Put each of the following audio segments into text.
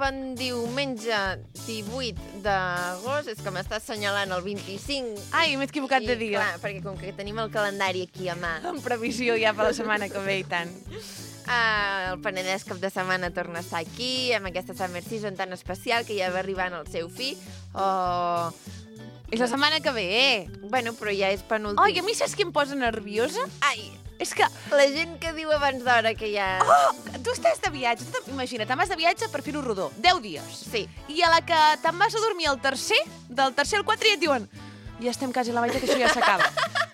bon diumenge 18 d'agost. És que m'està assenyalant el 25. Ai, m'he equivocat de dia. Clar, perquè com que tenim el calendari aquí a mà. En previsió ja per la setmana que ve i tant. El Penedès cap de setmana torna a estar aquí, amb aquesta Summer Season tan especial que ja va arribant al seu fi. És la setmana que ve, Bueno, però ja és penúltim. Ai, a mi saps què em posa nerviosa? Ai, És que... la gent que diu abans d'hora que ja... Tu estàs de viatge, imagina't, te'n vas de viatge per fer-ho rodó, 10 dies. Sí. I a la que te'n vas a dormir al tercer, del tercer al 4 ja et diuen ja estem quasi a la meitat, que això ja s'acaba.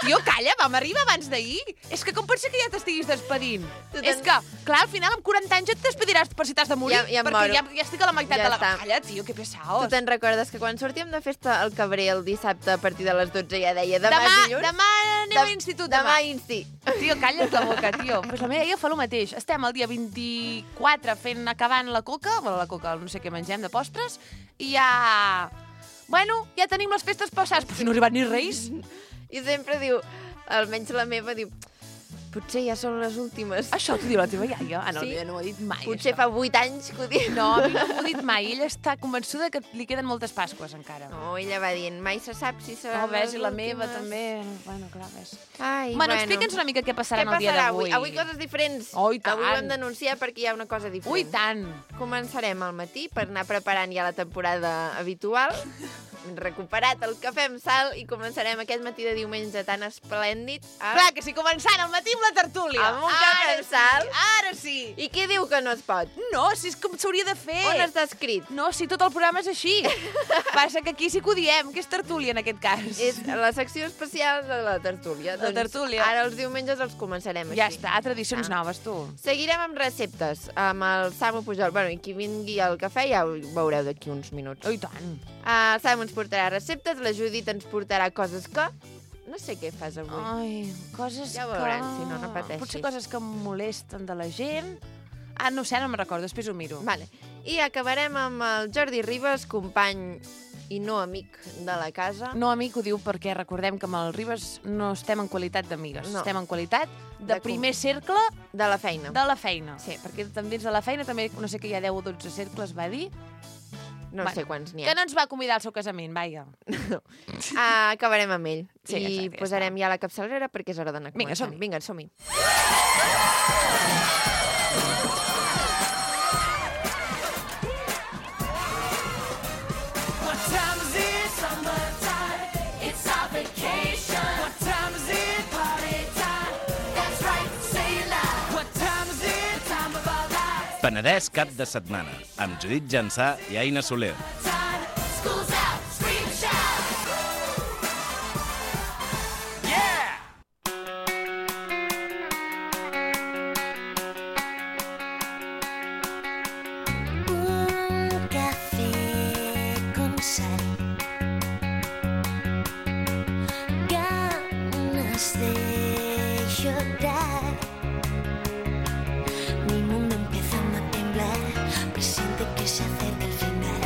Tio, calla, vam arribar abans d'ahir. És que com pot ser que ja t'estiguis despedint? És que, clar, al final amb 40 anys et despediràs per si t'has de morir, Ja em perquè moro. ja estic a la meitat Ja de la... està. Calla, tio, que pesaos. Tu te'n recordes que quan sortíem de festa al Cabré el dissabte a partir de les 12 ja deia demà és dilluns? Demà anem a l'institut, Demà insti. Tio, calla't la boca, tio. Pues la meva iaia fa el mateix. Estem el dia 24 acabant la coca, no sé què mengem de postres, i ja... Bueno, ja tenim les festes passades, però si no ha arribat ni Reis. I sempre diu, almenys la meva, diu, potser ja són les últimes. Això t'ho diu la teva iaia? Ah, no, Sí. no ho ha dit mai, Potser això. fa 8 anys que ho diu. No, a mi no m'ho ha dit mai. Ella està convençuda que li queden moltes Pasques encara. No, ella va dient, mai se sap si seran No, ves, les i la últimes. meva també. Bueno, clar, ves. Ai, Bueno, explica'ns una mica què passarà en el dia d'avui. Avui coses diferents. Oh, i tant. Avui ho hem d'anunciar perquè hi ha una cosa diferent. Ui, tant. Començarem al matí per anar preparant ja la temporada habitual. Recuperat el cafè amb sal i començarem aquest matí de diumenge tan esplèndid. Clar, que si començant al matí amb la tertúlia. Amb un cafè amb sal. Ara sí. I qui diu que no es pot? No, si és com s'hauria de fer. On està escrit? No, si tot el programa és així. Passa que aquí sí que ho diem, que és tertúlia en aquest cas. És la secció especial de la tertúlia. La tertúlia. Ara els diumenges els començarem així. Ja està, tradicions noves, tu. Seguirem amb receptes, amb el Samu Pujol. Bueno, i qui vingui al cafè ja ho veureu d'aquí uns minuts. Oh, i tant. El Samu ens portarà receptes, la Judit ens portarà coses que... No sé què fas avui. Ai, coses Ja que... veuran, si no, no pateixis. Potser coses que em molesten de la gent. Ah, no sé, no me'n recordo, després ho miro. Vale. I acabarem amb el Jordi Ribas, company i no amic de la casa. No, amic, ho diu perquè recordem que amb el Ribas no estem en qualitat d'amigues. No. Estem en qualitat de primer cercle De la feina. de la feina. Sí. Perquè també dins de la feina, també, no sé que hi ha 10 o 12 cercles, va dir. No Bueno, sé quants n'hi Que ha. no ens va convidar al seu casament, vaja. Acabarem amb ell. Sí, I exacte, ja posarem ja la capçalera perquè és hora d'anar Vinga, començant. som-hi. Vinga, som-hi. What time is it? Summertime. It's our vacation. What time is it? Party time. That's right, say it loud. What time is it? Time of our lives. Penedès cap de setmana, amb Judit Jansà i Aina Soler. Time. School's out. Scream and shout. Yeah! Un café con sal, ganas de llorar. Mi mundo empezando a temblar, presiente que se acerca el final.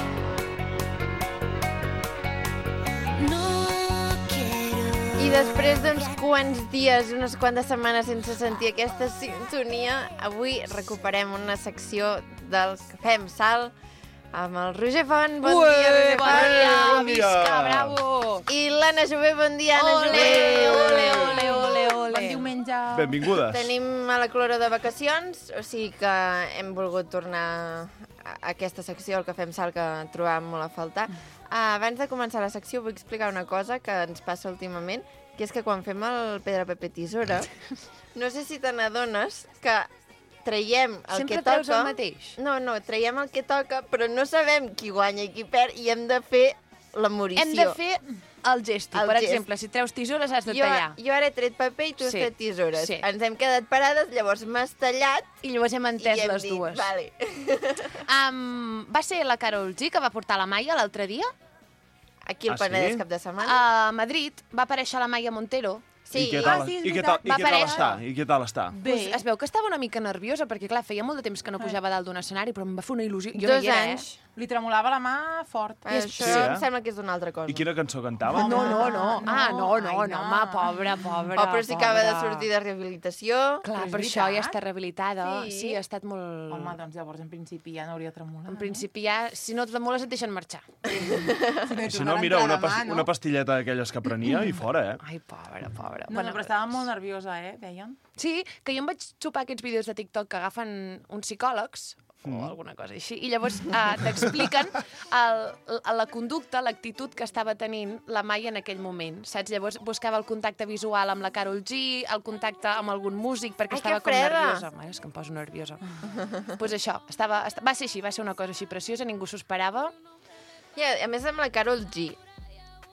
No quiero. I després d'uns quants dies, unes quantes setmanes sense sentir aquesta sintonia, avui recuperem una secció del Cafè amb Sal amb el Roger Font. Bon dia, Roger bon Font. dia, bon dia. visca, bravo! I l'Anna Jové, bon dia, Anna Ole, Jové. ole, ole, ole, ole. Bon diumenge. Benvingudes. Tenim a la clora de vacacions, o sigui que hem volgut tornar a aquesta secció, el Cafè amb Sal, que trobàvem molt a faltar. Abans de començar la secció vull explicar una cosa que ens passa últimament, que és que quan fem el Pedra, Paper, Tisora, no sé si te n'adones que traiem el Sempre que treus toca... el mateix? No, traiem el que toca, però no sabem qui guanya i qui perd, i hem de fer la morició. Hem de fer el gesto. El Per gest. exemple, si treus tisores has de Jo tallar. ara he tret paper i tu has Sí, tret tisores. sí. Ens hem quedat parades, llavors m'has tallat I llavors hem i entès hem les dit, dues. Vale. Va ser la Carol G que va portar la Maia l'altre dia. Aquí al Ah, sí? Penedès cap de setmana. A Madrid va aparèixer la Maia Montero. Sí, I què tal, sí, és i què veritat. tal, i Va què tal aparèixer. està? I què tal està? Pues es veu que estava una mica nerviosa, perquè clar, feia molt de temps que no pujava dalt d'un escenari, però em va fer una il·lusió. Jo 2 no hi era, anys. Li tremolava la mà fort. Això Sí, em sembla que és una altra cosa. I quina cançó cantava? No. Ai, No, home, pobra. Oh, però si acaba de sortir de rehabilitació... Clar, Però és per això ja veritat. està rehabilitada. Sí. Sí, ha estat molt... Home, doncs llavors en principi ja no hauria tremolat. En principi ja, si no et tremoles et deixen marxar. Si no, mira, una pastilleta d'aquelles que prenia i fora, Ai, pobra. No, però estava molt nerviosa, deien. Sí, que jo em vaig xupar aquests vídeos de TikTok que agafen uns psicòlegs o alguna cosa així, i llavors t'expliquen la conducta, l'actitud que estava tenint la Mai en aquell moment, saps? Llavors buscava el contacte visual amb la Karol G, el contacte amb algun músic, perquè Ai, estava que com freda! nerviosa. Ai, és que em poso nerviosa. Doncs això, va ser així, va ser una cosa així preciosa, ningú s'ho esperava. I a més amb la Karol G,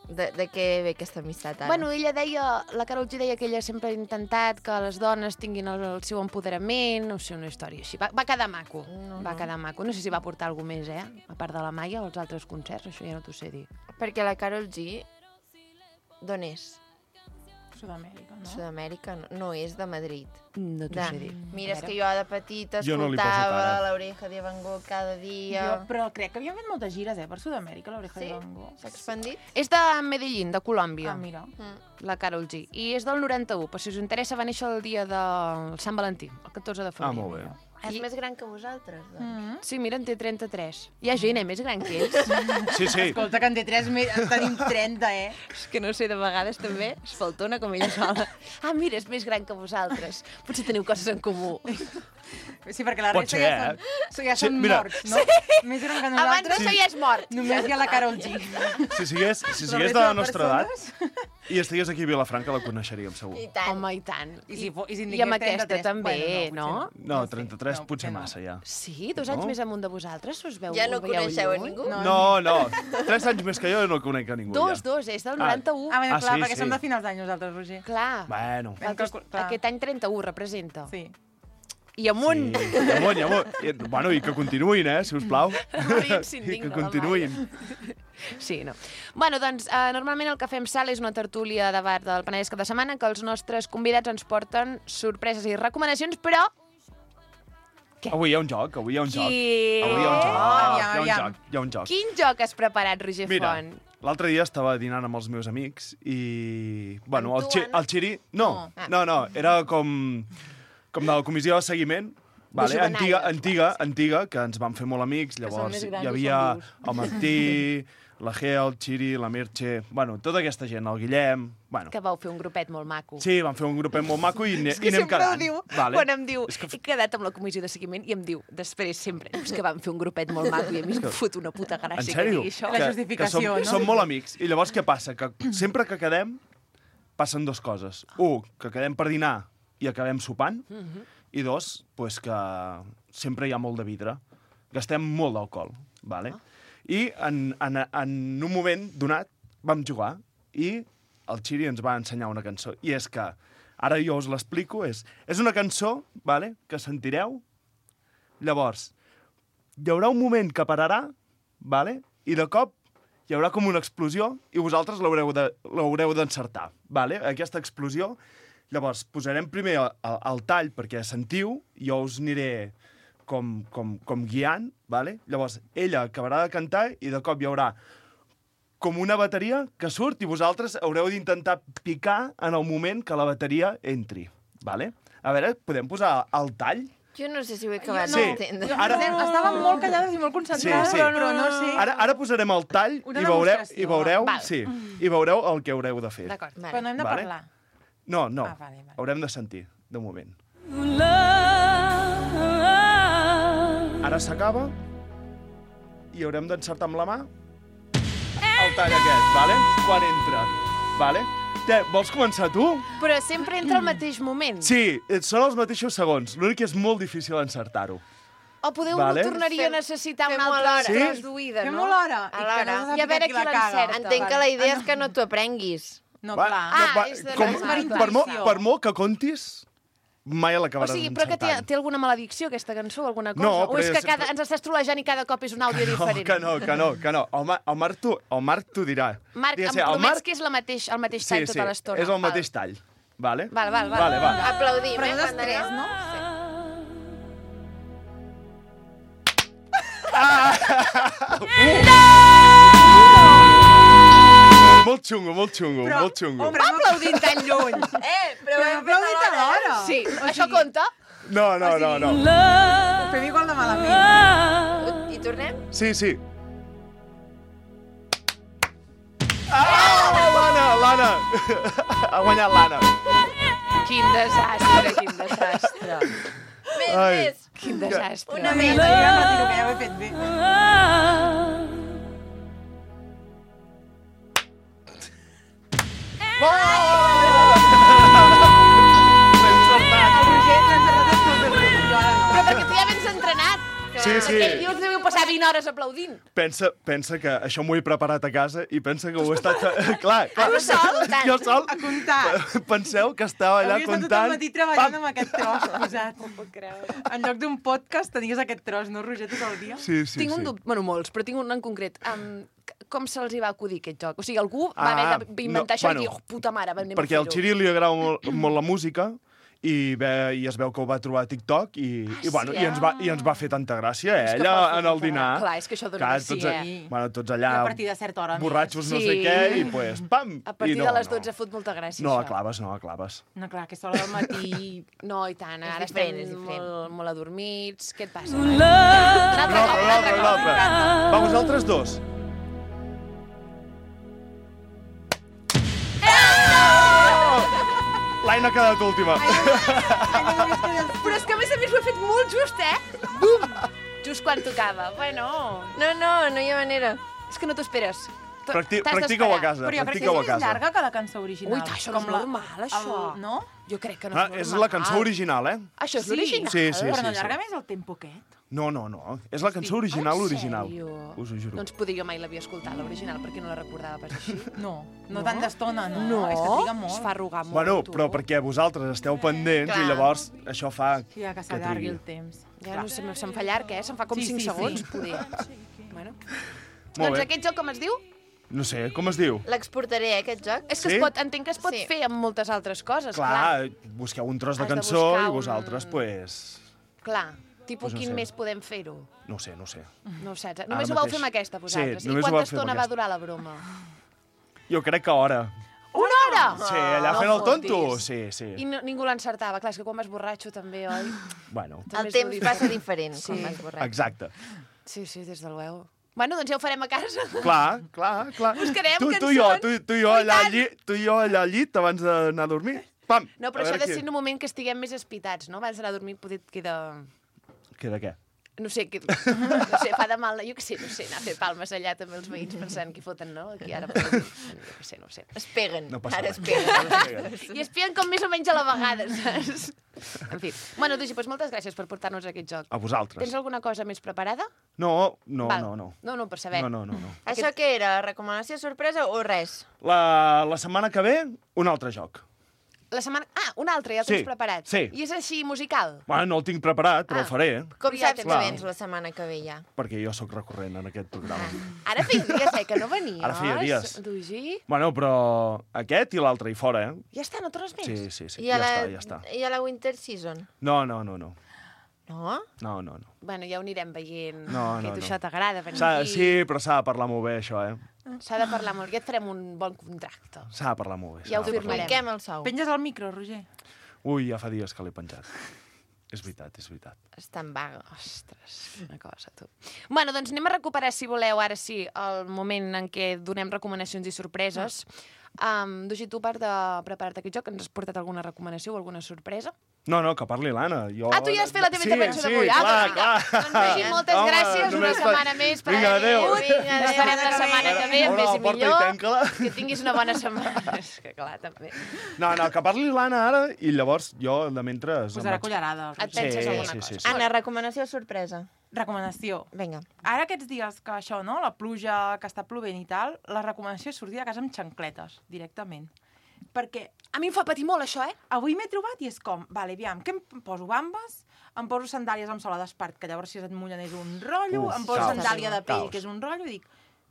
de què ve aquesta amistat ara? Bueno, la Karol G deia que ella sempre ha intentat que les dones tinguin el seu empoderament, no sé, una història així. Va quedar maco, va quedar maco. No sé si va portar alguna més, a part de la Maia, als altres concerts, això ja no t'ho sé dir. Perquè la Karol G, d'on és? Sud-amèrica, no? Sud-amèrica, no és de Madrid. No t'ho sé dir. Mira, és que jo de petita Jo no li poso escoltava cara. l'Oreja de Van Gogh cada dia. Però crec que havien fet moltes gires, per Sud-amèrica, l'Oreja Sí? de Van Gogh. S'ha expandit? És de Medellín, de Colòmbia, Ah, mira. la Karol G. I és del 91, però si us interessa va néixer el dia del Sant Valentí, el 14 de febrer. molt bé. És més gran que vosaltres, doncs. Sí, mira, en té 33. Hi ha gent, més gran que ells. Sí, sí. Escolta, que en té 3, tenim 30, És que no sé, de vegades també es faltona com ella sola. Ah, mira, és més gran que vosaltres. Potser teniu coses en comú. Sí, perquè la Pot resta ser, ja Sí, són mira. morts, no? Més gran que Abans nosaltres, d'això ja és mort. només hi ha la Karol G. Si sigués de la nostra edat i estigués aquí a Vilafranca, la coneixeríem, segur. I tant. Home, i tant. I si I amb aquesta 33, també, bueno, no? No, 33 no, potser no. massa, ja. Sí, 2 anys No? més amunt de vosaltres, us veu? Ja no ho veieu coneixeu a lluny? ningú? No, 3 anys més que jo no conec a ningú, Dos, ja. és del 91. Ah, bueno, Ah, clar, sí, perquè sí. som de finals d'any nosaltres, Roger. Clar. Bueno. Aquest any 31 representa. Sí. I amunt. Sí, i amunt. Bueno, i que continuïn, sisplau. Moríem I s'indigna, que la continuïn. Sí, no. Bueno, doncs, normalment el que fem sal és una tertúlia de bar del Penedès cada setmana que els nostres convidats ens porten sorpreses i recomanacions, però... Avui hi ha un joc, avui hi ha un joc. Qui? Avui hi ha un joc. Aviam. Hi ha un joc. Quin joc has preparat, Roger Mira, Font? l'altre dia estava dinant amb els meus amics i... Bueno, Amb tu, Anna? el Xiri... No, era com de la comissió de seguiment, vale? antiga, que ens vam fer molt amics. Llavors més grans hi i havia són vius. el Martí, la Gea, el Xiri, la Merche... Bueno, tota aquesta gent, el Guillem... Bueno, Que vau fer un grupet molt maco. sí, vam fer un grupet molt maco i anem sempre quedant. ho diu, Vale? quan em diu, És que he quedat amb la comissió de seguiment i em diu, després sempre, és que vam fer un grupet molt maco i a mi em fot una puta En gràcia que sèrio? digui això. La justificació, no? Som molt amics. I llavors què passa? Que sempre que quedem, passen dues coses. Un, que quedem per dinar i acabem sopant. I dos, pues que sempre hi ha molt de vidre. Gastem molt d'alcohol. Vale? I en un moment donat vam jugar i el Xiri ens va ensenyar una cançó. I és que, ara jo us l'explico, és una cançó, vale, que sentireu. Llavors, hi haurà un moment que pararà, vale? I de cop hi haurà com una explosió i vosaltres l'haureu d'encertar. Vale? Aquesta explosió, llavors posarem primer el tall perquè sentiu, jo us aniré com guiant, vale? Llavors ella acabarà de cantar i de cop hi haurà com una bateria que surt i vosaltres haureu d'intentar picar en el moment que la bateria entri. Vale? A veure, podem posar el tall? Jo no sé si ho he acabat Sí. d'entendre. Ara- Estàvem molt callades i molt concentrades, Sí. però no sé. Ara posarem el tall Una i demostració. veureu, Val. sí, i veureu el que haureu de fer. D'acord. Però no hem de Vale. parlar. No, Ah, vale. haurem de sentir, de moment. Ara s'acaba i haurem d'encertar amb la mà el tall aquest, vale? Quan entra, vale? Vols començar tu? Però sempre entra al mateix moment. Sí, són els mateixos segons. L'únic que és molt difícil encertar-ho. O podeu Vale. tornaria a necessitar un Fem-ho altre alhora. tros Sí? d'oïda, no? Fem-ho l'hora. Alhora. I a veure qui l'encerta. Entenc que la idea és que no t'ho aprenguis. No, Va, clar. Ah, és de com, la per per, intuïció. per molt que contis, mai O l'acabaràs sigui, però que encertant. té alguna maledicció, aquesta cançó, alguna cosa? No, o és però que ens estàs trolejant i cada cop és un àudio diferent? Que no. El Marc t'ho dirà. Marc, em Digues, el promets que és el mateix tall tota l'estona? és el mateix tall. Vale? Val. Vale, va. Aplaudim, Però quan després, anem. no? Molt xungo, molt xungo, molt xungo. Però Aplaudint tan lluny. Però hem aplaudit alhora. Sí, això compta? No. Ho fem igual de malament. I tornem? Sí. L'Anna! Ha guanyat l'Anna. Quin desastre. Més. Quin desastre. Una més. Jo ja retiro, que ja ho he fet bé. El Roger l'ha encertat tot el temps, jo ara no. Però perquè tu ja vens entrenat. Sí. Aquell dia us devíeu passar 20 hores aplaudint. Pensa que això m'ho he preparat a casa i pensa que ho he estat... Clar. Tu sol? Jo sol. A comptar. Penseu que estava allà Hauria estat tot comptant... el matí treballant amb aquest tros posat. No puc creure. En lloc d'un podcast tenies aquest tros, no, Roger, tot el dia? Sí. Tinc un dubte, bueno, molts, però tinc un en concret. Com se'ls hi va acudir aquest joc? O sigui, algú va haver d'inventar això i dir, puta mare, anem a perquè al fer-ho. Xiri li agrada molt la música i es veu que ho va trobar a TikTok i ens va fer tanta gràcia, És que ella pot fer en el molta dinar. Clar, és que això dona Clar, gràcia, tots allà, I a partir de certa hora. borratxos no Sí. sé què, i pues, pam! A partir I de les 12 fot molta gràcia, No la això. claves. No, clar, aquesta hora del matí... No, i tant, És ara diferent, estem és diferent. molt adormits. Què et passa? Un altre. Va, vosaltres dos. L'Aina ha quedat última. Però és que a més ho he fet molt just, Bum! Just quan tocava. Bueno, No hi ha manera. és que no t'ho esperes. Practica-ho a casa. Però jo crec que Practica-ho a és més casa. llarga que la cançó original. Ui, això no és normal, això. No? Jo crec que no Ah, és normal. és la cançó original, eh? Això és Sí? l'original? Sí. Però no allarga més el tempo aquest? No. És la cançó original, En original. sèrio? Us ho juro. Doncs potser jo mai l'havia escoltat, l'original, perquè no la recordava pas així. No No? tant d'estona, no. No, És que triga molt. es fa arrugar molt, Bueno, tu. però perquè vosaltres esteu pendents Clar. i llavors això fa Sí, ja que que s'allargui trigui. el temps. Ja no sé, se'm fa llarg, Se'm fa com Sí, 5 sí, segons, sí. poder. Bueno. Molt Doncs bé. aquest joc com es diu? No sé, com es diu? L'exportaré, aquest joc. És que Sí? entenc que es pot Sí. fer amb moltes altres coses, Clar, busqueu un tros de Has de cançó buscar i un- vosaltres, pues... Clar, tipus Pues no quin sé. més podem fer-ho? No ho sé. No ho saps. Només ho vau mateix. fer amb aquesta, vosaltres. Sí, I només ho quanta vau fer amb estona va aquesta. durar la broma? Jo crec que hora. Una hora? Sí, allà no fent el fotis. tonto. Sí. I ningú l'encertava. Clar, és que quan vas borratxo també, oi? Bueno, També El és temps molt passa diferent. diferent Sí. quan vas borrat. exacte. Sí, des del veu. Bueno, doncs ja ho farem a casa. Clar. Buscarem tu i jo cançons. allà al llit abans d'anar a dormir. Pam! No, però A això ha veure de qui- ser en un moment que estiguem més espitats, no? Abans d'anar a dormir potser et queda... Queda què? No sé, fa de mal, jo què sé, anar a fer palmes allà també els veïns pensant qui foten, no? Aquí ara, jo què sé. Es peguen. No passa Ara res. es peguen. I espien com més o menys a la vegada, saps? En fi. Bueno, Dugi, doncs moltes gràcies per portar-nos a aquest joc. A vosaltres. Tens alguna cosa més preparada? No. Val. No, per saber. No. Això què era? Recomanació sorpresa o res? La setmana que ve, un altre joc. La setmana... Ah, un altre, ja el tens Sí, preparat. sí. I és així musical? Bueno, no el tinc preparat, però el faré, Com Ja saps tens- que Clar. vens la setmana que ve ja? perquè jo sóc recurrent en aquest programa. Ara feia dies, que no venies. Ara feia dies. Dugi? Bueno, però aquest i l'altre i fora, eh? Ja està, no tornes més? Sí, I a ja la, està. I a la Winter Season? No. No? Bueno, ja ho anirem veient. No, que no, tu no. això t'agrada, venir Sí, aquí. però s'ha de parlar molt bé, això, eh? S'ha de parlar molt. Ja et farem un bon contracte. S'ha de parlar molt bé. Ja ho s'ha de parlar. firmarem. Fiquem el sou. Penges el micro, Roger. Ui, ja fa dies que l'he penjat. És veritat. Està en vaga. Ostres, una cosa, tu. Bueno, doncs anem a recuperar, si voleu, ara sí, el moment en què donem recomanacions i sorpreses. Dugi, tu, a part de preparar-te aquest joc, ens has portat alguna recomanació o alguna sorpresa? No, que parli l'Anna. Jo... Ah, tu ja has fet la teva intervenció sí, d'avui. clar, clar. Doncs, Dugi, moltes Home, gràcies. Una només setmana més per Vinga, adéu. Vinga, Ens farem la setmana que ve, Obre més la i porta i millor. tanca-la. Que tinguis una bona setmana. És que clar, també. No, que parli l'Anna ara i llavors jo, de mentre... Posarà cullerada. el Et Roger. penses Sí, alguna sí, cosa. sí. Anna, recomanació sorpresa. Recomanació. Vinga. Ara aquests dies que això, no? La pluja, que està plovent i tal, la recomanació és sortir de casa amb xancletes, directament. Perquè A mi em fa patir molt, això, avui m'he trobat i és com, vale, aviam, què em poso? Bambes? Em poso sandàlies amb sola d'espart, que llavors si es mullen és un rotllo, Uf, em poso caos. sandàlia de pell, Caos. que és un rotllo, i dic,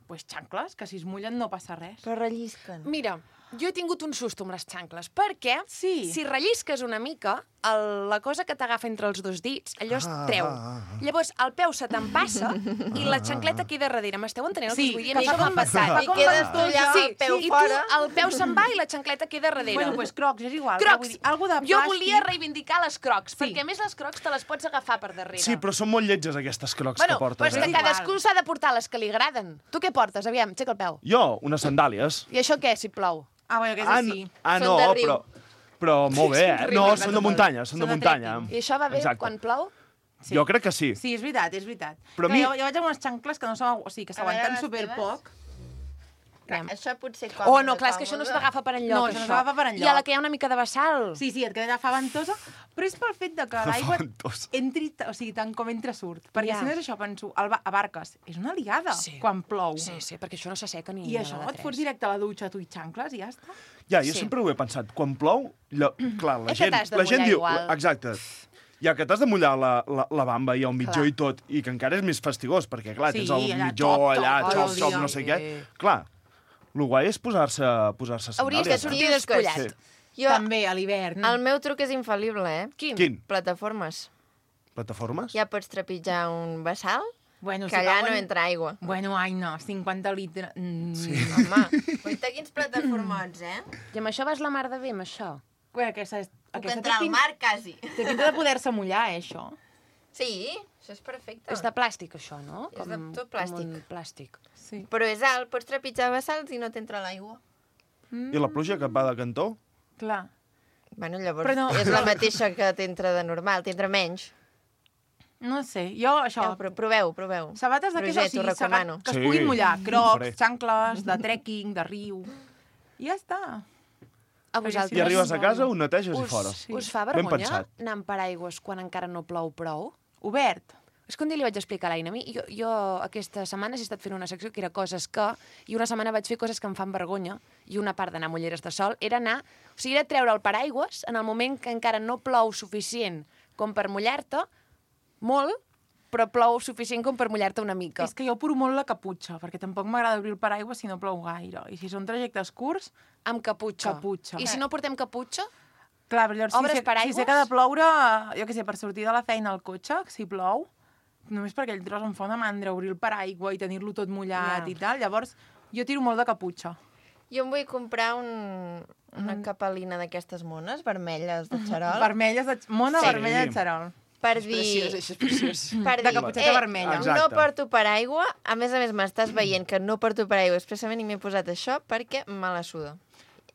pues xancles, que si es mullen no passa res. Però rellisquen. Mira, jo he tingut un susto amb les xancles, perquè Sí. si rellisques una mica, la cosa que t'agafa entre els dos dits, allò es treu. Llavors, el peu se te'n passa i la xancleta queda darrere. M'esteu entenent el que Sí, us vull dir? que A mi això fa m'ha passat. I quedes tu allà amb el peu i fora. tu, el peu se'n va i la xancleta queda darrere. Bueno, doncs Crocs, és igual. Crocs. Vull dir, algo de Jo plàstic. volia reivindicar les Crocs, Sí. perquè a més les Crocs te les pots agafar per darrere. Sí, però són molt lletges aquestes crocs Bueno, que portes. però és que És cadascú igual. s'ha de portar les que li agraden. Tu què portes? Aviam, aixeca el peu. Jo, unes sandàlies. I això què, si plou? Ah, bueno, que és Ah, així. ah Són no, de riu. però molt bé, eh? riu, No, m'encanta són de muntanya, són de Són de muntanya. I això va bé Exacte. quan plou? Sí. Jo crec que sí. Sí, és veritat, és veritat. Però a Clar, mi- jo vaig amb unes xancles que no són... O sigui, que A veure, s'aguanten les superpoc. Clar, això pot ser Oh, no, clar, és que això no s'agafa per enlloc, No, això no s'agafa per I a enlloc. la que hi ha una mica de vessal. Sí, et queda fa ventosa, però és pel fet de que l'aigua ventosa. entri, o sigui, tant com entra surt. Perquè Ja. si no és això, penso, a barques, és una liada Sí. quan plou. Sí, sí, perquè això no s'asseca ni I a això, la de et fots tres. directe a la dutxa, tu i xancles, i ja està. Ja, jo Sí. sempre ho he pensat. Quan plou, clar, la És que gent, t'has de la gent mullar diu... igual. Exacte. Ja que t'has de mullar la bamba i el mitjó Clar. i tot, i que encara és més fastigós, perquè, clar, Sí, tens el allà, mitjó xop, allà, xop, xop, tot el xop, dia. no sé Sí. què. Clar, el guai és posar-se sandàlies. Hauries de sortir despullat. Sí. Jo, També, a l'hivern. el meu truc és infal·lible, eh? Quin? Plataformes. Plataformes? Ja pots trepitjar un vessal, Bueno, que allà no entra aigua. Bueno, ai, no, 50 litres... Home, guaita quins plataformots, eh? I amb això vas la mar de bé, amb això? Bueno, aquesta Puc entrar al mar, quasi. Té pinta de poder-se mullar, això. Sí, això és perfecte. És de plàstic, això, no? És de tot plàstic. Com un plàstic. Sí. Però és alt, pots trepitjar vessals i no t'entra l'aigua. I la pluja que et va de cantó? Clar. Bueno, llavors Però no- és la mateixa que t'entra de normal, t'entra menys. No sé, jo això... Ja, però proveu. Sabates d'aquestes, Roger, t'ho recomano. que es Sí, puguin mullar. ho Crocs, faré. xancles, de trekking, de riu... I ja està. A vosaltres? I arribes a casa, ho neteges i us, fora. us fa Ben vergonya pensat. anar amb paraigües quan encara no plou prou? Obert. És que un dia li vaig explicar a l'Aina. A mi, jo aquesta setmana he estat fent una secció que era coses que... I una setmana vaig fer coses que em fan vergonya. I una part d'anar a Mulleres de Sol era anar... O sigui, era treure el paraigües en el moment que encara no plou suficient com per mullar-te, molt, però plou suficient com per mullar-te una mica. És que jo apuro molt la caputxa, perquè tampoc m'agrada obrir el paraigua si no plou gaire. I si són trajectes curts, Amb caputxa. Caputxa. I si no portem caputxa? clar, però llavors Obres si sé paraigües? que ha de ploure, jo què sé, per sortir de la feina al cotxe, si plou, només perquè aquell tros em fa una mandra obrir el paraigua i tenir-lo tot mullat Ja. i tal, llavors jo tiro molt de caputxa. Jo em vull comprar una capelina d'aquestes mones vermelles de xarol Vermelles de... Mona Sí. vermella de xarol. per dir... això és preciós. Per De dir, caputxeta vermella. Exacte. no porto paraigua, a més m'estàs veient que no porto paraigua expressament i m'he posat això perquè me la suda.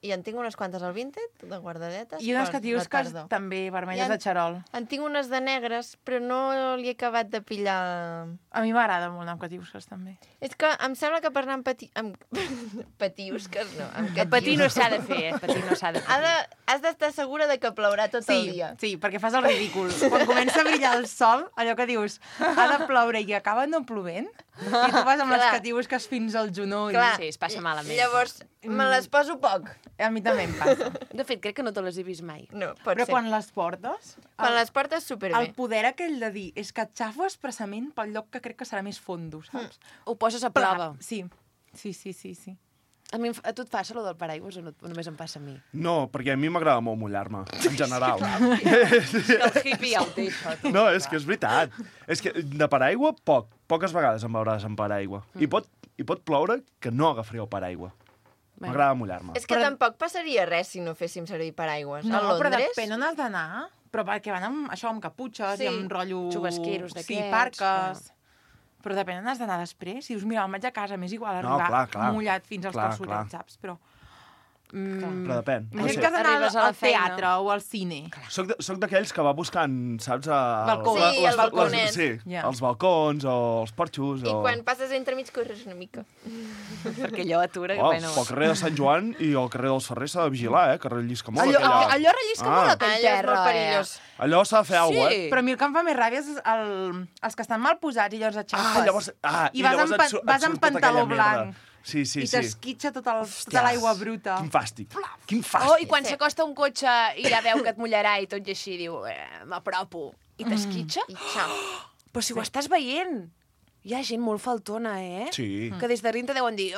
I en tinc unes quantes al Vinted, de guardadetes. I unes per que dius la que tardor. també vermelles I de xarol. En tinc unes de negres, però no li he acabat de pillar... A mi m'agrada molt anar amb catiusques, també. És que em sembla que per anar amb patiusques, no, amb El patí no s'ha de fer, patí no s'ha de fer. Has d'estar segura de que plourà tot el dia. Sí, perquè fas el ridícul. Quan comença a brillar el sol, allò que dius, ha de ploure i acaba no plovent, i tu vas amb les Clar. catiusques fins al genoll. Clar. Sí, es passa malament. Llavors, me les poso poc. A mi també em passa. De fet, crec que no te les he vist mai. No, pot Però ser. quan les portes, Quan les portes superbé. el poder aquell de dir és que et xafo expressament pel lloc que crec que serà més fondo, saps? Ho poses a prova. Sí, sí, sí, sí, sí. A tu et passa allò del paraigües o, no, o només em passa a mi? No, perquè a mi m'agrada molt mullar-me, en general. El hippie ja ho té, això. No, és que és veritat. És que de paraigua, poques vegades em veuràs amb paraigua. I pot ploure que no agafaré el paraigua. M'agrada mullar-me. És que tampoc passaria res si no féssim servir paraigües. No, a però Londres... depèn on has d'anar. Però perquè van amb això, amb caputxes Sí. i amb rotllo... Xubasqueros Sí, d'aquests, parques. Però depèn on has d'anar després. Si dius, mira, me'n vaig a casa, m'és igual No, arribar clar. mullat fins als Clar, calçotets, saps? Però Però depèn. No imagina't sé. que has d'anar Arribes a la al feina. teatre o al cine. Soc d'aquells que va buscant, saps? Balcons. Sí, el balconet. Sí, Ja. els balcons o els porxos. I o... quan passes entremig corres una mica. Perquè allò atura... Oh, bueno, pel carrer de Sant Joan i el carrer dels Ferrers s'ha de vigilar, carrer Llisca molt. Allò rellisca molt Ah. aquell Allò és terra, molt perillós. Allò s'ha de fer alguna cosa, Sí. Però a mi el que em fa més ràbia és els que estan mal posats i llavors et xafes. llavors, I vas llavors amb, et vas amb surt tota pantaló aquella merda. blanc. Sí, sí, I sí. t'esquitxa tota l'aigua bruta. Quin fàstic. Quin fàstic. Oh, i quan s'acosta un cotxe i ja veu que et mullarà i tot i així diu, m'apropo, i t'esquitxa, I xau. però si ho estàs veient. Hi ha gent molt faltona, Sí. Que des de dintre deuen dir...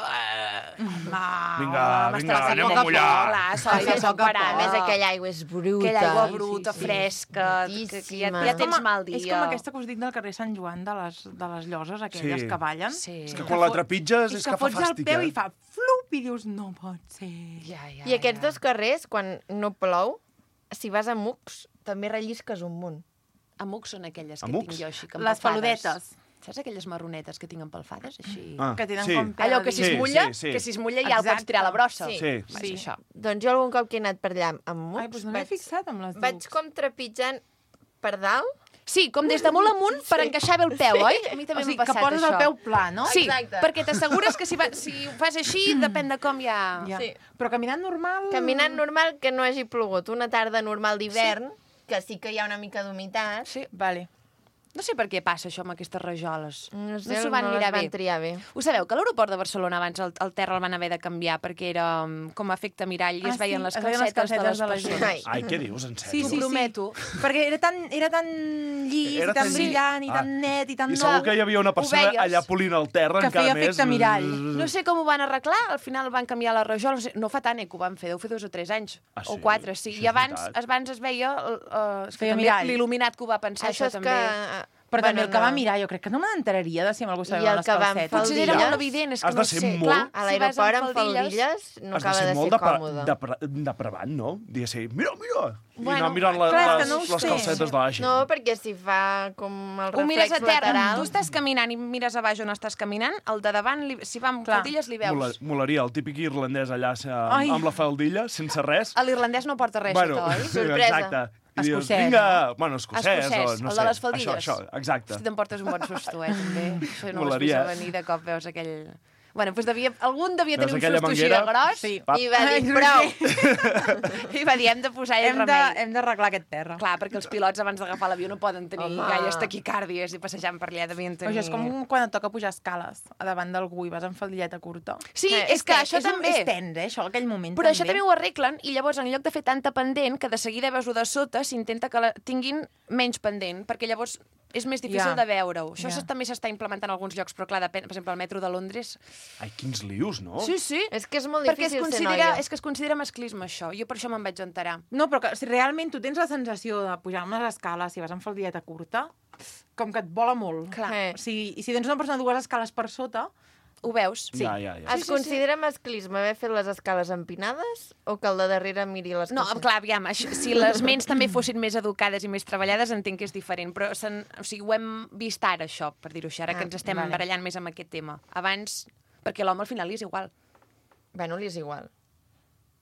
Vinga, anem a mullar. Clar, s'ha de A més, aquella aigua és bruta. Aquella aigua bruta, fresca, que ja Brutíssima. tens mal dia. És com aquesta que us dic del carrer Sant Joan, de les lloses aquelles Sí. que ballen. Sí. És que quan la trepitges és que fa fots el fàstic, peu i fa flup i dius, no pot ser. Ja, I aquests dos carrers, quan no plou, si vas a Mux, també rellisques un munt. Amucs són aquelles que Amucs? tinc jo així, que Les empalfades. peludetes. Saps aquelles marronetes que tinc empalfades, així? Que tenen sí. com pèl Allò que si es Sí, mulla, sí, sí. que si es mulla ja el pots Exacte. tirar a la brossa. Sí. Sí. Va, és això. Doncs jo algun cop que he anat per allà amb Mux, Ai, doncs no m'he fixat amb les vaig ducs. com trepitjant per dalt. Sí, com des de molt amunt per encaixar bé el peu, oi? A mi també O sigui, m'ha que passat poses això. el peu pla, no? Sí, Exacte. perquè t'assegures que si ho fas així, depèn de com ja... Ja. Sí. Però caminant normal... Caminant normal, que no hagi plogut. Una tarda normal d'hivern, que sí que hi ha una mica d'humitat. Sí. Vale. No sé per què passa això amb aquestes rajoles. No sé, s'ho van no mirar les van bé. triar bé. Ho sabeu, que a l'aeroport de Barcelona abans el terra el van haver de canviar perquè era com a efecte mirall i es veien les es veien les calcetes de les calcetes de la gent. persones. Ai. Ai, què dius, en Sí, sèrio? sí, T'ho prometo. Perquè era tan llis, Era i tan tan- brillant, i Ah. tan net, i tan... I segur que hi havia una persona veies? allà polint el terra Que encara feia més. efecte mirall. No sé com ho van arreglar, al final van canviar la rajola, no fa tant que ho van fer, deu fer 2 o 3 anys, Ah, o sí? 4, sí. Això I és abans veritat. es veia és que Feia també mirall. l'il·luminat que ho va pensar, Això és també. que... Però també el que no. va mirar, jo crec que no me n'enteraria de si amb algú I sabia el les que van calcetes. fer el Potser era Faldilles? molt evident, és que Has de no ser sé. molt- Clar, A si vas l'aeroport amb amb faldilles no Has de acaba ser de molt ser còmode. depravant, no? Dir així, mira! I Bueno, anar mirant clar, és que no ho les sé. calcetes de la gent. No, perquè si fa com el Ho mires reflex a terra, lateral... tu estàs caminant i mires a baix on estàs caminant, el de davant, si va amb Clar. faldilles, li veus. Molaria el típic irlandès allà Ai. amb la faldilla, sense res. L'irlandès no porta res, Bueno, sota, oi? Sorpresa. exacte. I dius, Escocès, vinga, bueno, escocès, Escocès, o no el sé. de les faldilles. Això, exacte. Si te'n portes un bon susto, també. Això no ho has Molaria. vist a venir, de cop veus aquell... Bueno, doncs algun devia Veus tenir un aquella susto així de manguera? gros Sí. Pap. I va dir, Ai, prou! i va dir, hem de posar-hi remei. Hem d'arreglar aquest terra. Clar, perquè els pilots abans d'agafar l'avió no poden tenir Home. gaires taquicàrdies i passejant per allà devien tenir... Això és com quan et toca pujar escales a davant d'algú i vas amb faldilleta curta. Sí, és que això també... És tens, això, aquell moment Però això també ho arreglen i llavors en lloc de fer tanta pendent que de seguida veus-ho de sota s'intenta que la tinguin menys pendent perquè llavors és més difícil Ja. de veure-ho. Això Ja. també s'està implementant en alguns llocs, però clar, depèn, per exemple, el metro de Londres... Ai, quins lius, no? Sí, sí. És que és molt Perquè difícil ser noia. és que es considera masclisme, això. Jo per això me'n vaig enterar. No, però que si realment tu tens la sensació de pujar amb les escales si vas amb faldilleta curta, com que et vola molt. Clar. I si tens una persona dues escales per sota, Ho veus? Sí. Ja. Es considera masclisme haver fet les escales empinades o que el de darrere miri les No, coses? clar, aviam, si les ments també fossin més educades i més treballades, entenc que és diferent, però o sigui, ho hem vist ara, això, per dir-ho així, ara que ens estem vale. barallant més amb aquest tema. Abans, perquè l'home al final li és igual. Bueno, li és igual.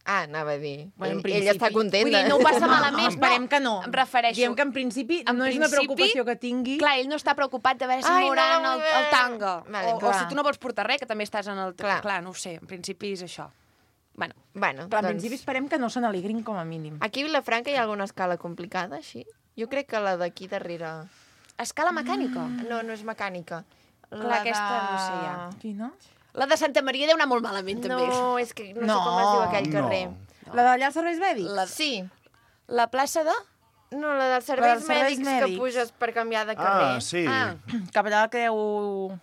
Ah, anava a dir. Bueno, en Ell principi. està content. Vull dir, no ho passa malament. esperem que no. Em refereixo... Diem que en principi no és una preocupació que tingui. Clar, ell no està preocupat de veure si Ai, no mouran la vull el veure. tanga. Vale, o clar. si tu no vols portar res, que també estàs en el... Clar. no ho sé, en principi és això. Bueno, Bueno, Però en doncs, principi esperem que no se n'alegrin com a mínim. aquí a Vilafranca hi ha alguna escala complicada, així? Jo crec que la d'aquí darrere... escala mecànica. No, no és mecànica. Clar, aquesta no sé ja. Quina? La de Santa Maria deu anar molt malament, també. No, és que no, No. sé com es diu aquell carrer. La d'allà als serveis mèdics? Sí. La plaça de... No, la dels serveis, dels serveis mèdics, mèdics. que puges per canviar de carrer. Ah, sí. Ah, Cap allà al Creu...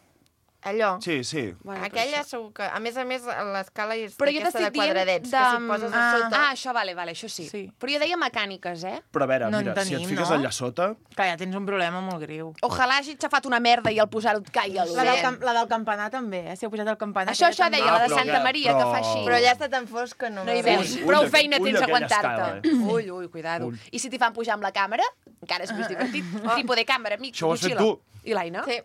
Allò. Sí, sí. bueno, Aquella segur que... A més, l'escala és Però jo d'aquesta de t'estic dient quadradets, de... que si poses a sota... Ah, això vale, això sí. Sí. Però jo deia mecàniques, eh? Però a veure, No en mira, si et tenim, fiques no? allà sota... Que ja tens un problema molt greu. Ojalà hagi xafat una merda i al posar-ho et caigui a La del, l'ull. la del campanar també, si heu pujat al campanar. Això aquella deia, també. la de però Santa que- Maria, que fa així. Però ja està tan fosc que no... No hi me veus. Ull, Prou ull, feina ull tens d'aquella d'aguantar-te. escala, Ull, cuidado. Ull. I si t'hi fan pujar amb la càmera, encara és més divertit. Trípode, càmera, amic, Això ho has fet motxilla. tu. I l'Aina? Sí.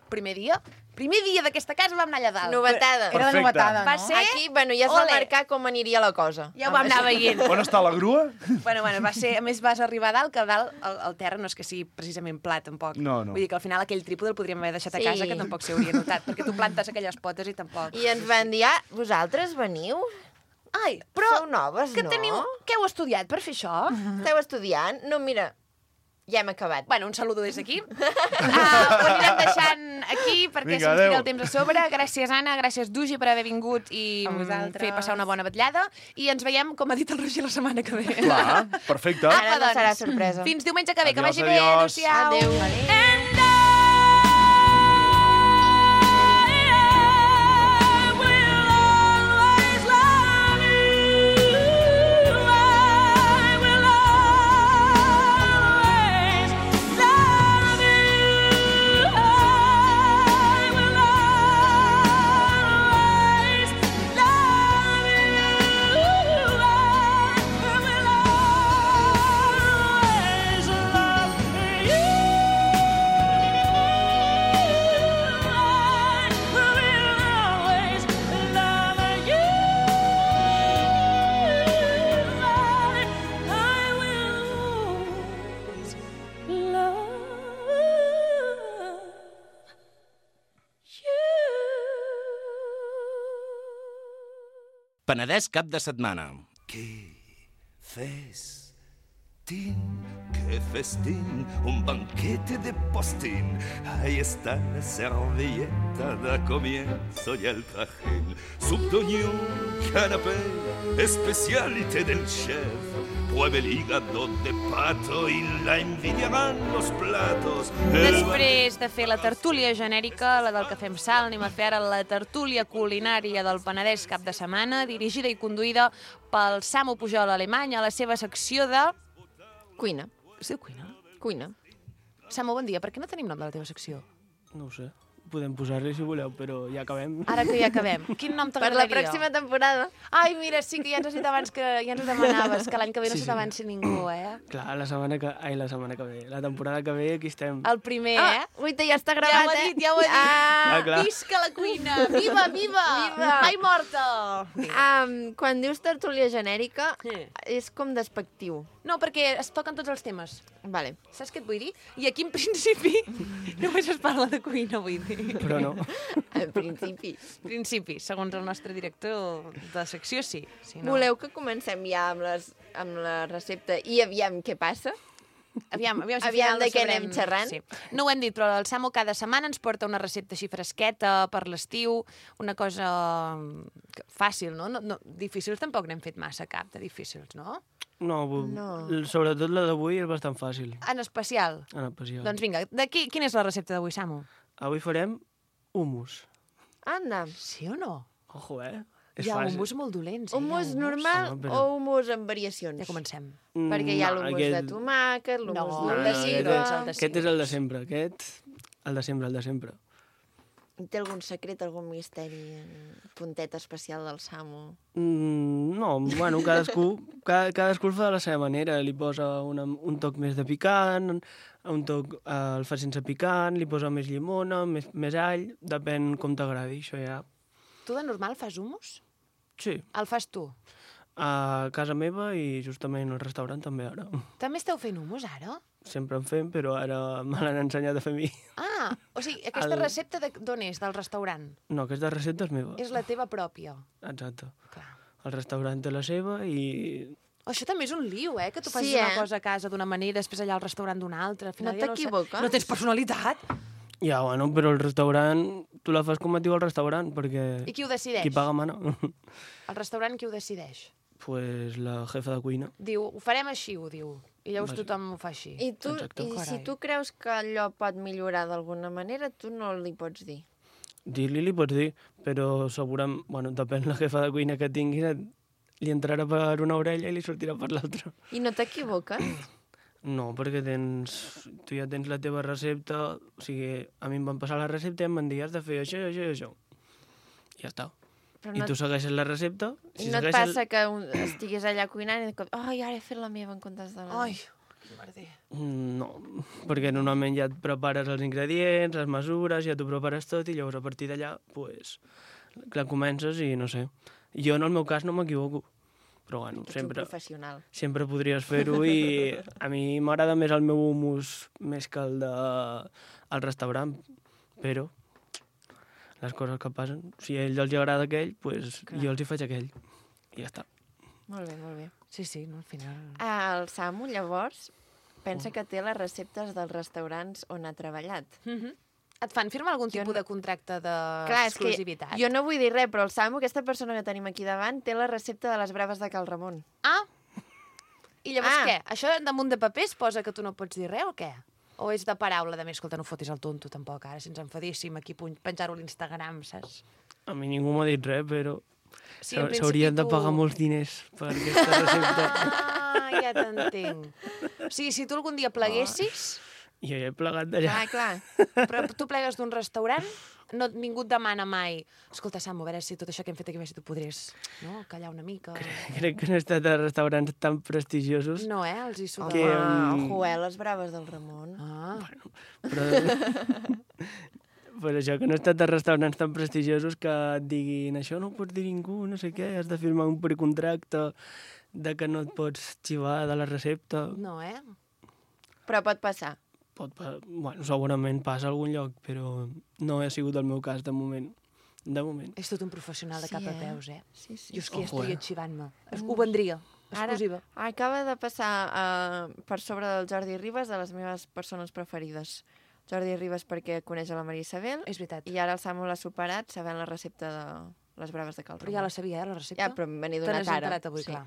Primer dia d'aquesta casa vam anar allà dalt. Novetada. Era de Perfecte. novetada, no? Va ser- Aquí, bueno, ja es va Ole. marcar com aniria la cosa. Ja ho vam anar veient. On està la grua? Bueno, va ser... A més, vas arribar a dalt, que a dalt el terra no és que sigui precisament pla, tampoc. No, no. Vull dir que al final aquell trípode el podríem haver deixat a Sí. casa, que tampoc s'hauria notat, perquè tu plantes aquelles potes i tampoc. I ens van dir, ah, vosaltres veniu? Ai, però... Sou noves, que no? teniu... Què heu estudiat per fer això? Esteu estudiant? No, mira, ja hem acabat. Bueno, un saludo des d'aquí. Ho anirem deixant aquí perquè Vinga, se'ns tira adéu. el temps a sobre. Gràcies, Anna, gràcies, Dugi, per haver vingut i A vosaltres. fer passar una bona vetllada. I ens veiem, com ha dit el Roger, la setmana que ve. Clar, perfecte. Ara no doncs. serà sorpresa. Fins diumenge que ve. Que Adiós, vagi bé. adiós. Adéu-siau. Adéu. And Penedès cap de setmana. ¡Qué festín! Un banquete de postín. Ahí está la servilleta, da comienzo ya el trajín. Subdoñó, canapé, especialité del chef. Pruebe el hígado de pato y la envidiarán los platos. Després de fer la tertúlia genèrica, la del Cafè amb Sal, anem a fer ara la tertúlia culinària del Penedès cap de setmana, dirigida i conduïda pel Samu Pujol Alemany a la seva secció de... Cuina. Es diu cuina? Cuina. Samu, bon dia. Per què no tenim nom de la teva secció? No ho sé. Podem posar-li si voleu, però ja acabem. Ara que ja acabem. Quin nom Per t'agradaria? la pròxima temporada. Ai, mira, sí que ja ens has dit abans que ja ens ho demanaves, que l'any que ve no se t'avanci ningú, eh? Clar, la setmana que ve. La temporada que ve aquí estem. El primer, Ah, guaita, ja està gravat, ja ho ha dit, ja ho ha dit. Ah, clar. Visca la cuina! Viva, viva! Viva! Mai morta! Quan dius tertúlia genèrica, Sí. és com despectiu. No, perquè es toquen tots els temes. Vale. Saps què et vull dir? I aquí, en principi, només es parla de cuina, vull dir. Però no. En principi. Principi, segons el nostre director de secció, sí. Si no... Voleu que comencem ja amb la recepta i aviam què passa? Aviam si al Aviam final de no què sabrem- anem xerrant? Sí. No ho hem dit, però el Samu cada setmana ens porta una recepta així fresqueta per l'estiu, una cosa fàcil, no? No? Difícils tampoc n'hem fet massa cap, de difícils, no? No, No. sobretot la d'avui és bastant fàcil. En especial. En especial. Doncs vinga, quina és la recepta d'avui, Samu? Avui farem hummus. Anda. Sí o no? Ojo, Hi ha hummus molt dolents. Hummus normal Home, però- o hummus amb variacions? Ja comencem. Perquè hi ha l'hummus de tomàquet, l'hummus No, de no, ciga... no, no, Aquest és el de sempre. El de sempre. Té algun secret, algun misteri, puntet especial del Samu? No, bueno, cadascú el fa de la seva manera. Li posa un toc més de picant, un toc el fa sense picant, li posa més llimona, més all, depèn com t'agradi, això ja. Tu de normal fas hummus? Sí, El fas tu? a casa meva i justament al restaurant també ara. També esteu fent hummus, ara? Sempre en fem, però ara me l'han ensenyat a fer a mi. Ah, o sigui, aquesta El- recepta d'on és? Del restaurant? No, aquesta recepta és meva. És la teva pròpia. Exacte. Clar. El restaurant té la seva i... Això també és un lío, que tu facis Sí, una cosa a casa d'una manera i després allà al restaurant d'una altra. Al final No ja t'equivoques? No tens personalitat. Ja, bueno, però el restaurant... Tu la fas com et diu el restaurant, perquè... I qui ho decideix? Qui paga mana. El restaurant qui ho decideix? Pues la jefa de cuina. Diu, ho farem així, ho diu. I llavors tothom ho fa així. I Exacte. si Carai. tu creus que allò pot millorar d'alguna manera, tu no li pots dir. Dir-li li pots dir, però segurament... Bueno, depèn la jefa de cuina que tinguis, li entrarà per una orella i li sortirà per l'altra. I no t'equivoques? No, perquè tu ja tens la teva recepta, o sigui, a mi em van passar la recepta i em van dir has de fer això, això i això. I ja està. Però I tu segueixes la recepta... I no et passa que estiguis allà cuinant i de cop, ai, ara he fet la meva en comptes de la... Ai, que merder. No, perquè normalment ja et prepares els ingredients, les mesures, ja t'ho prepares tot i llavors a partir d'allà, pues, clar, comences i no sé. Jo en el meu cas no m'equivoco, però bueno, Ets un professional. sempre podries fer-ho i a mi m'agrada més el meu hummus més que el del restaurant, però les coses que passen, si a ells els agrada aquell, pues jo els hi faig aquell i ja està. Molt bé, molt bé. Sí, sí, no, al final... El Samu, llavors, pensa que té les receptes dels restaurants on ha treballat. Et fan firmar algun tipus de contracte Clar, és que d'exclusivitat? jo no vull dir res, però el Samu, aquesta persona que tenim aquí davant, té la recepta de les braves de Cal Ramon. Ah! I llavors Ah. què? Això damunt de paper es posa que tu no pots dir res o què? O és de paraula, de més, escolta, no fotis el tonto tampoc, ara, si ens enfadíssim aquí penjar-ho a l'Instagram, saps? A mi ningú m'ha dit res, però Sí, en principi s'haurien de tu- pagar molts diners per aquesta recepta. Ah, ja t'entenc. O sigui, si tu algun dia pleguessis, Jo ja he plegat d'allà. Clar. però tu plegues d'un restaurant, ningú et demana mai escolta, Samu, a veure si tot això que hem fet aquí, a veure si tu podries callar una mica. Crec que no he estat a restaurants tan prestigiosos. No, els hi suda. Home, ojo, les braves del Ramon. Ah. Però, per això que no he estat a restaurants tan prestigiosos que et diguin això no ho pots dir ningú, no sé què, has de firmar un precontracte de que no et pots xivar de la recepta. No, Però pot passar. Bueno, segurament passa a algun lloc, però no ha sigut el meu cas de moment. De moment. És tot un professional de cap a peus, eh? Sí, sí. Jo és que ja Ojo, estaria eh? xivant-me. Ho vendria. Ara Exclusiva. acaba de passar per sobre del Jordi Ribas, de les meves persones preferides. Jordi Ribas perquè coneix a la Maria Isabel És veritat. i ara el Samu l'ha superat sabent la recepta de les braves de Cal Però ja la sabia, la recepta? Ja, però me n'he Te donat n'has ara. enterat avui, Sí. clar.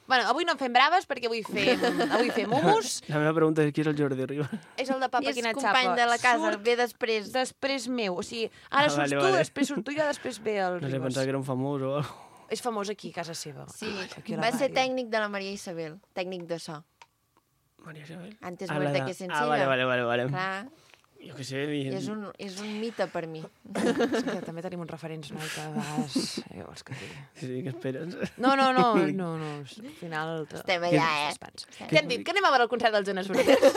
Bueno, avui no en fem braves perquè avui fem hummus. La meva pregunta és qui és el Jordi Ribas? És el de Papa I és Quinatxapa. company de la casa, ve després. Després meu. O sigui, ara Ah, surts vale, tu, vale. després surt tu i després ve el No sé, Ribas. pensava que era un famós o alguna cosa. És famós aquí, a casa seva. Sí, Aquí a la va ser ràdio. tècnic de la Maria Isabel, tècnic de so. Maria Isabel. Antes Ah, muerta la que de- sencilla. vale. Clar, Jo què sé... és un mite per mi. És que també tenim uns referents, noi, que a vegades... Vols que et digui? Sí, què esperes? No. Al final... Estem allà, eh? Què han dit? Que anem a veure el concert dels Jonas Brothers?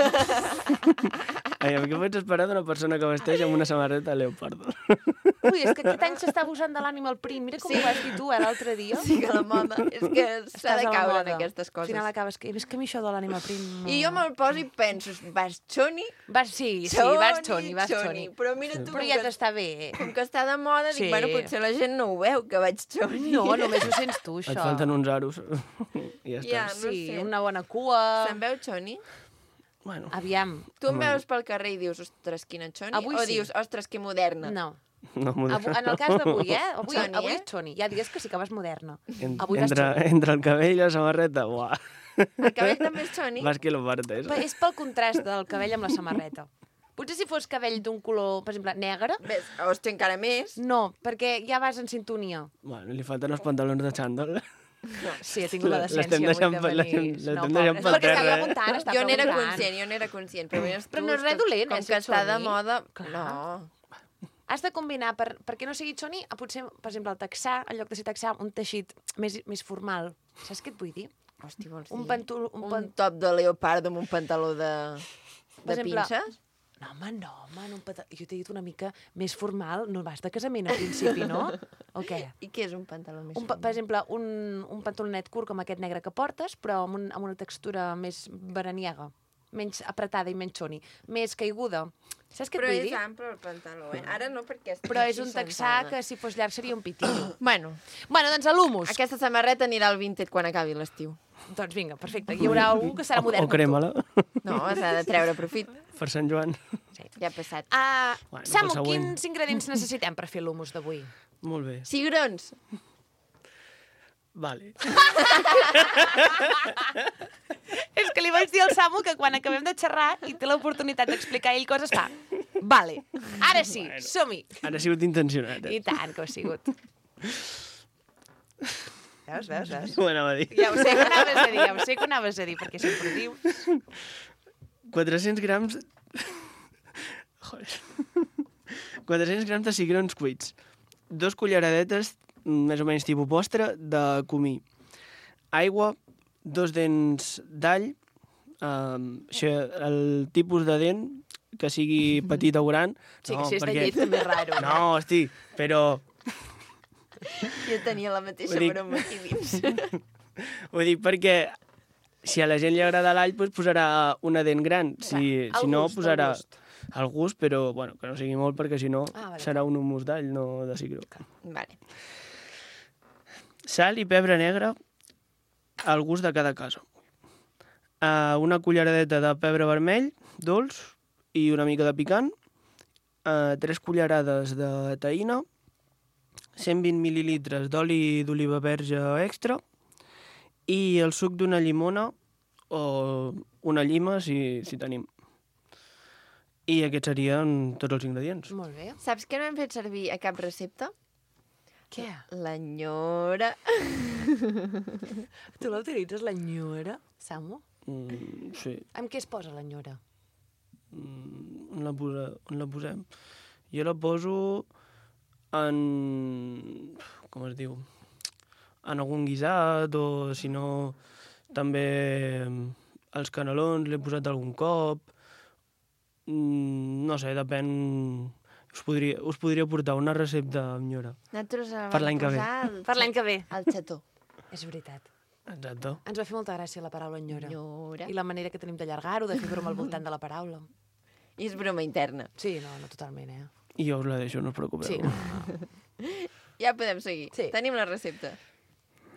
Ai, què pots esperar d'una persona que vesteix amb una samarreta leopardo? Ui, és que aquest any s'està abusant de l'animal print. Mira com ho vas dir tu, l'altre dia. Sí que la moda, és que s'ha Estàs de a la caure en moda. aquestes Al coses. final acabes que... És que a mi això de l'animal print... No... I jo me'l poso i penso, vas xoni? Sí, vas xoni. Però mira tu, Però ja t'està bé. com que està de moda, Sí. dic, bueno, potser la gent no ho veu, que vaig xoni. No, només ho sents tu, això. Et falten uns aros. I ja està. Ja, no Sí, sé. una bona cua... Se'n veu xoni? Bueno, Aviam. Tu em veus pel carrer i dius, ostres, quina xoni? Avui o sí. dius, ostres, que moderna? No. no m'ho En el cas d'avui, Avui, Xoni, avui eh? és xoni. Hi ha dies que sí que vas moderna. Avui vas entre, xoni. entre el cabell i la samarreta, uah. El cabell també és xoni? Vas que lo partes. És pel contrast del cabell amb la samarreta. Potser si fos cabell d'un color, per exemple, negre, Ves, hòstia, encara més. no, perquè ja vas en sintonia. Bueno, li falten els pantalons de xandall. Sí, he tingut la L'estem decència deixant avui de venir. l'estem No, deixant és pel perquè està terra. preguntant, està Jo n'era preguntant. conscient, però veies tu... Però no és res dolent, com ser que està de xoni. moda... Clar. No. Has de combinar, perquè no sigui xoni, potser, per exemple, el texà, en lloc de ser texà, un teixit més formal. Saps què et vull dir? Hòstia, vols dir? Un top de leopardo amb un pantaló de Per exemple, pinces? No, home, jo t'he dit una mica més formal. No vas de casament al principi, no? O què? I què és un pantaló més Per exemple, un pantalonet curt com aquest negre que portes, però amb una textura més veraniega, menys apretada i menys xoni, més caiguda. Saps què et Però vull és dir? ample el pantaló, eh? Ara no, perquè... estic Però és així un texà sentada. que si fos llarg seria un pitillo. Bueno, Bueno, doncs a l'humus. aquesta samarreta anirà al Vinted quan acabi l'estiu. Doncs vinga, perfecte. Hi haurà algú que serà modern O crema-la No, s'ha de treure profit. per Sant Joan. Ja ha passat. Bueno, Samu, pel següent. quins ingredients necessitem per fer l'humus d'avui? Molt bé. Cigrons. Vale. És que li vaig dir al Samu que quan acabem de xerrar i té l'oportunitat d'explicar ell coses, fa... Vale, ara sí, Bueno. som-hi. Ara ha sigut intencionat. I tant que ho ha sigut. Veus? Ho anava a dir. Ja ho sé que anaves a dir, perquè sempre ho dius. 400 grams... Joder. 400 grams de cigrons cuits. 2 culleradetes, més o menys tipus postre, de comí. Aigua, 2 dents d'all, el tipus de dent, que sigui petit o gran. Sí, que si és de llet també és raro. No, hosti, però... Jo tenia la mateixa Ho dic. broma aquí dins. Ho dic perquè si a la gent li agrada l'all, doncs posarà una dent gran. Si no, posarà el gust, però bueno, que no sigui molt, perquè si no Vale. serà un humus d'all, no de cigró. Vale. Sal i pebre negre al gust de cada casa. Una culleradeta de pebre vermell, dolç, i una mica de picant. 3 cullerades de taïna. 120 mil·lilitres d'oli d'oliva verge extra i el suc d'una llimona o una llima, si tenim. I aquests serien tots els ingredients. Molt bé. Saps que no hem fet servir a cap recepta? Què? L'enyora. Tu l'utilitzes, l'enyora, Samu? Sí. Amb què es posa l'enyora? On la posem? Jo la poso en... com es diu? En algun guisat, o si no, també els canelons l'he posat algun cop. No sé, depèn... Us podria portar una recepta amb nyora. Nosaltres Per l'any que ve. Per l'any que ve. El xató. És veritat. Exacte. Ens va fer molta gràcia la paraula enyora. Enyora. I la manera que tenim d'allargar-ho, de fer broma al voltant de la paraula. I és broma interna. Sí, no, totalment, I jo us la deixo, no us preocupeu. Sí, no. Ja podem seguir. Sí. Tenim la recepta.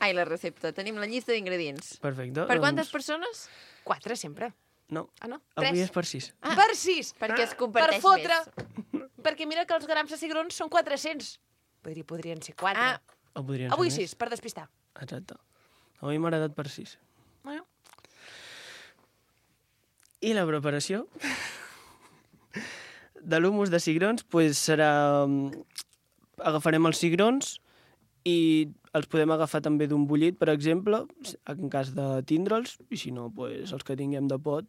Ai, la recepta. Tenim la llista d'ingredients. Perfecte. Per quantes persones? 4 sempre. No, Ah, no? avui 3. és per 6. Per 6. Perquè es Per comparteix fotre. més. Perquè mira que els grams de cigrons són 400. Podrien ser 4. Ah, O podrien Avui ser més. 6, per despistar. Exacte. Avui m'ha agradat per 6. Bueno. I la preparació de l'humus de cigrons pues, serà... Agafarem els cigrons i els podem agafar també d'un bullit, per exemple, en cas de tindre'ls, i si no, pues, els que tinguem de pot.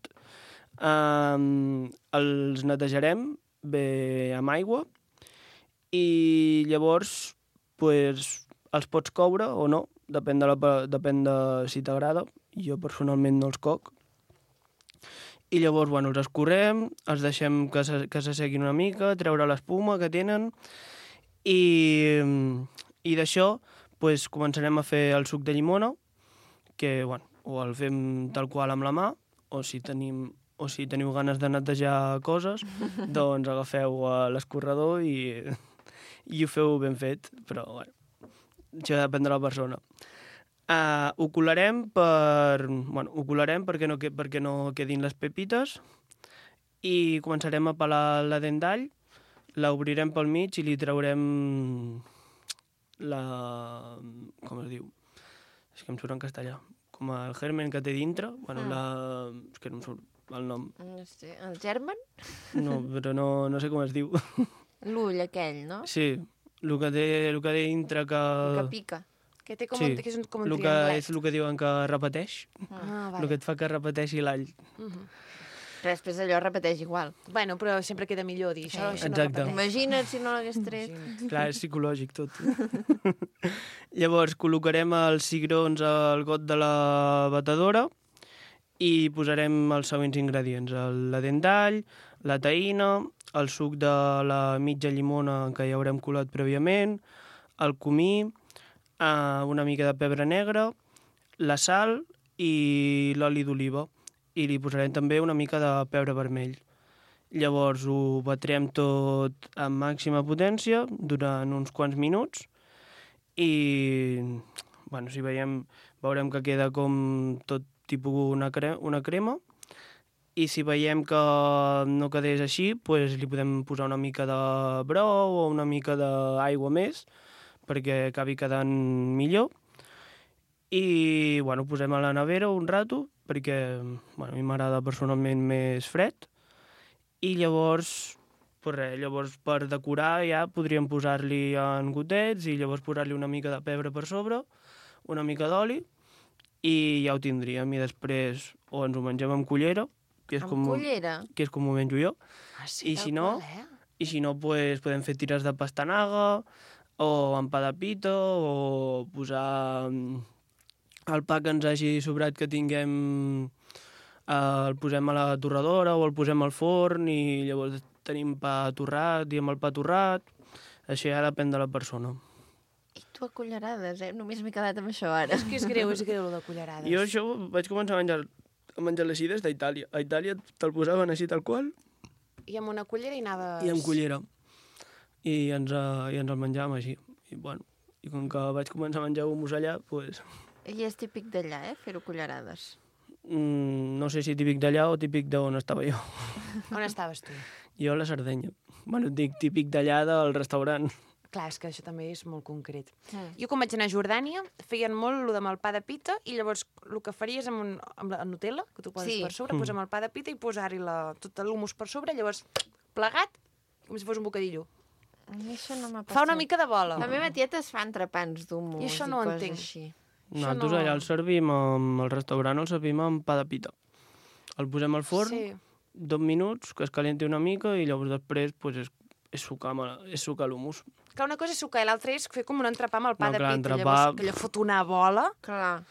Els netejarem bé amb aigua i llavors pues, els pots coure o no, depèn de si t'agrada. Jo personalment no els coc. I llavors, bueno, els escorrem, els deixem que s'asseguin una mica, treure l'espuma que tenen i d'això pues, començarem a fer el suc de llimona, que bueno, o el fem tal qual amb la mà, o si teniu ganes de netejar coses, doncs agafeu l'escorredor i ho feu ben fet, però bueno, això depèn de la persona. Ho colarem perquè no quedin les pepites i començarem a pelar la dent d'all, l'obrirem pel mig i li traurem com es diu? És que em surt en castellà. Com el germen que té dintre. Bueno, és que no em surt el nom. no sé, el germen? No, però no sé com es diu. L'ull aquell, no? Sí, el que té dintre que... Que pica. Que té com, Sí, que és com un el que trianglet. és el que diuen que repeteix. Ah, El que et fa que repeteixi l'all. Però després allò repeteix igual. Bueno, però sempre queda millor dir això. Sí. Això no Exacte. repeteix. Imagina't si no l'hagués tret. Clar, és psicològic tot. Llavors, col·locarem els cigrons al got de la batedora i posarem els següents ingredients. La dent d'all, la taïna, el suc de la mitja llimona que ja haurem colat prèviament, el comí, una mica de pebre negre, la sal i l'oli d'oliva. I li posarem també una mica de pebre vermell. Llavors ho batrem tot amb màxima potència durant uns quants minuts i bueno, si veurem que queda com tot tipus una crema i si veiem que no quedés així, pues li podem posar una mica de brou o una mica d'aigua més perquè acabi quedant millor. I bueno, posem a la nevera un rato perquè bueno, a mi m'agrada personalment més fred i llavors, pues res, llavors per decorar ja podríem posar-li en gotets i llavors posar-li una mica de pebre per sobre, una mica d'oli i ja ho tindríem i després o ens ho mengem amb cullera que és, Cullera? que és com ho menjo jo Ah, sí, I si tal no, qual, i si no pues, podem fer tires de pastanaga o amb pa de pita o posar el pa que ens hagi sobrat que tinguem el posem a la torradora o el posem al forn i llavors tenim pa torrat i amb el pa torrat. Això ja depèn de la persona. I tu a cullerades, Només m'he quedat amb això ara. És que és greu, de cullerades. Jo això vaig començar a menjar així des d'Itàlia. A Itàlia te'l posaven així tal qual I amb una cullera i anaves... i amb cullera. I ens el menjàvem així. I, bueno, i com que vaig començar a menjar hummus allà, pues, I és típic d'allà, fer-ho cullerades. no sé si típic d'allà o típic d'on estava jo. On estaves tu? Jo a la Sardenya. Bueno, et dic típic d'allà del restaurant. Clar, és que això també és molt concret. Jo quan vaig anar a Jordània feien molt el amb el pa de pita i llavors el que faries amb la Nutella, que tu poses Sí. per sobre, posar amb el pa de pita i posar-hi tot l'humus per sobre, llavors plegat, com si fos un bocadillo. A mi això no m'ha passat. Fa una mica de bola. La meva tieta es fa entrepans d'humus I això no ho coses entenc. així. Nosaltres no- allà el servim, al restaurant el servim amb pa de pita. El posem al forn, Sí. 2 minuts, que es calenti una mica i llavors després pues, és sucar l'humus. Clar, una cosa és sucar i l'altra és fer com un entrepà amb el pa No, de clar, pita, entrepà- llavors que allò fot una bola. Clar.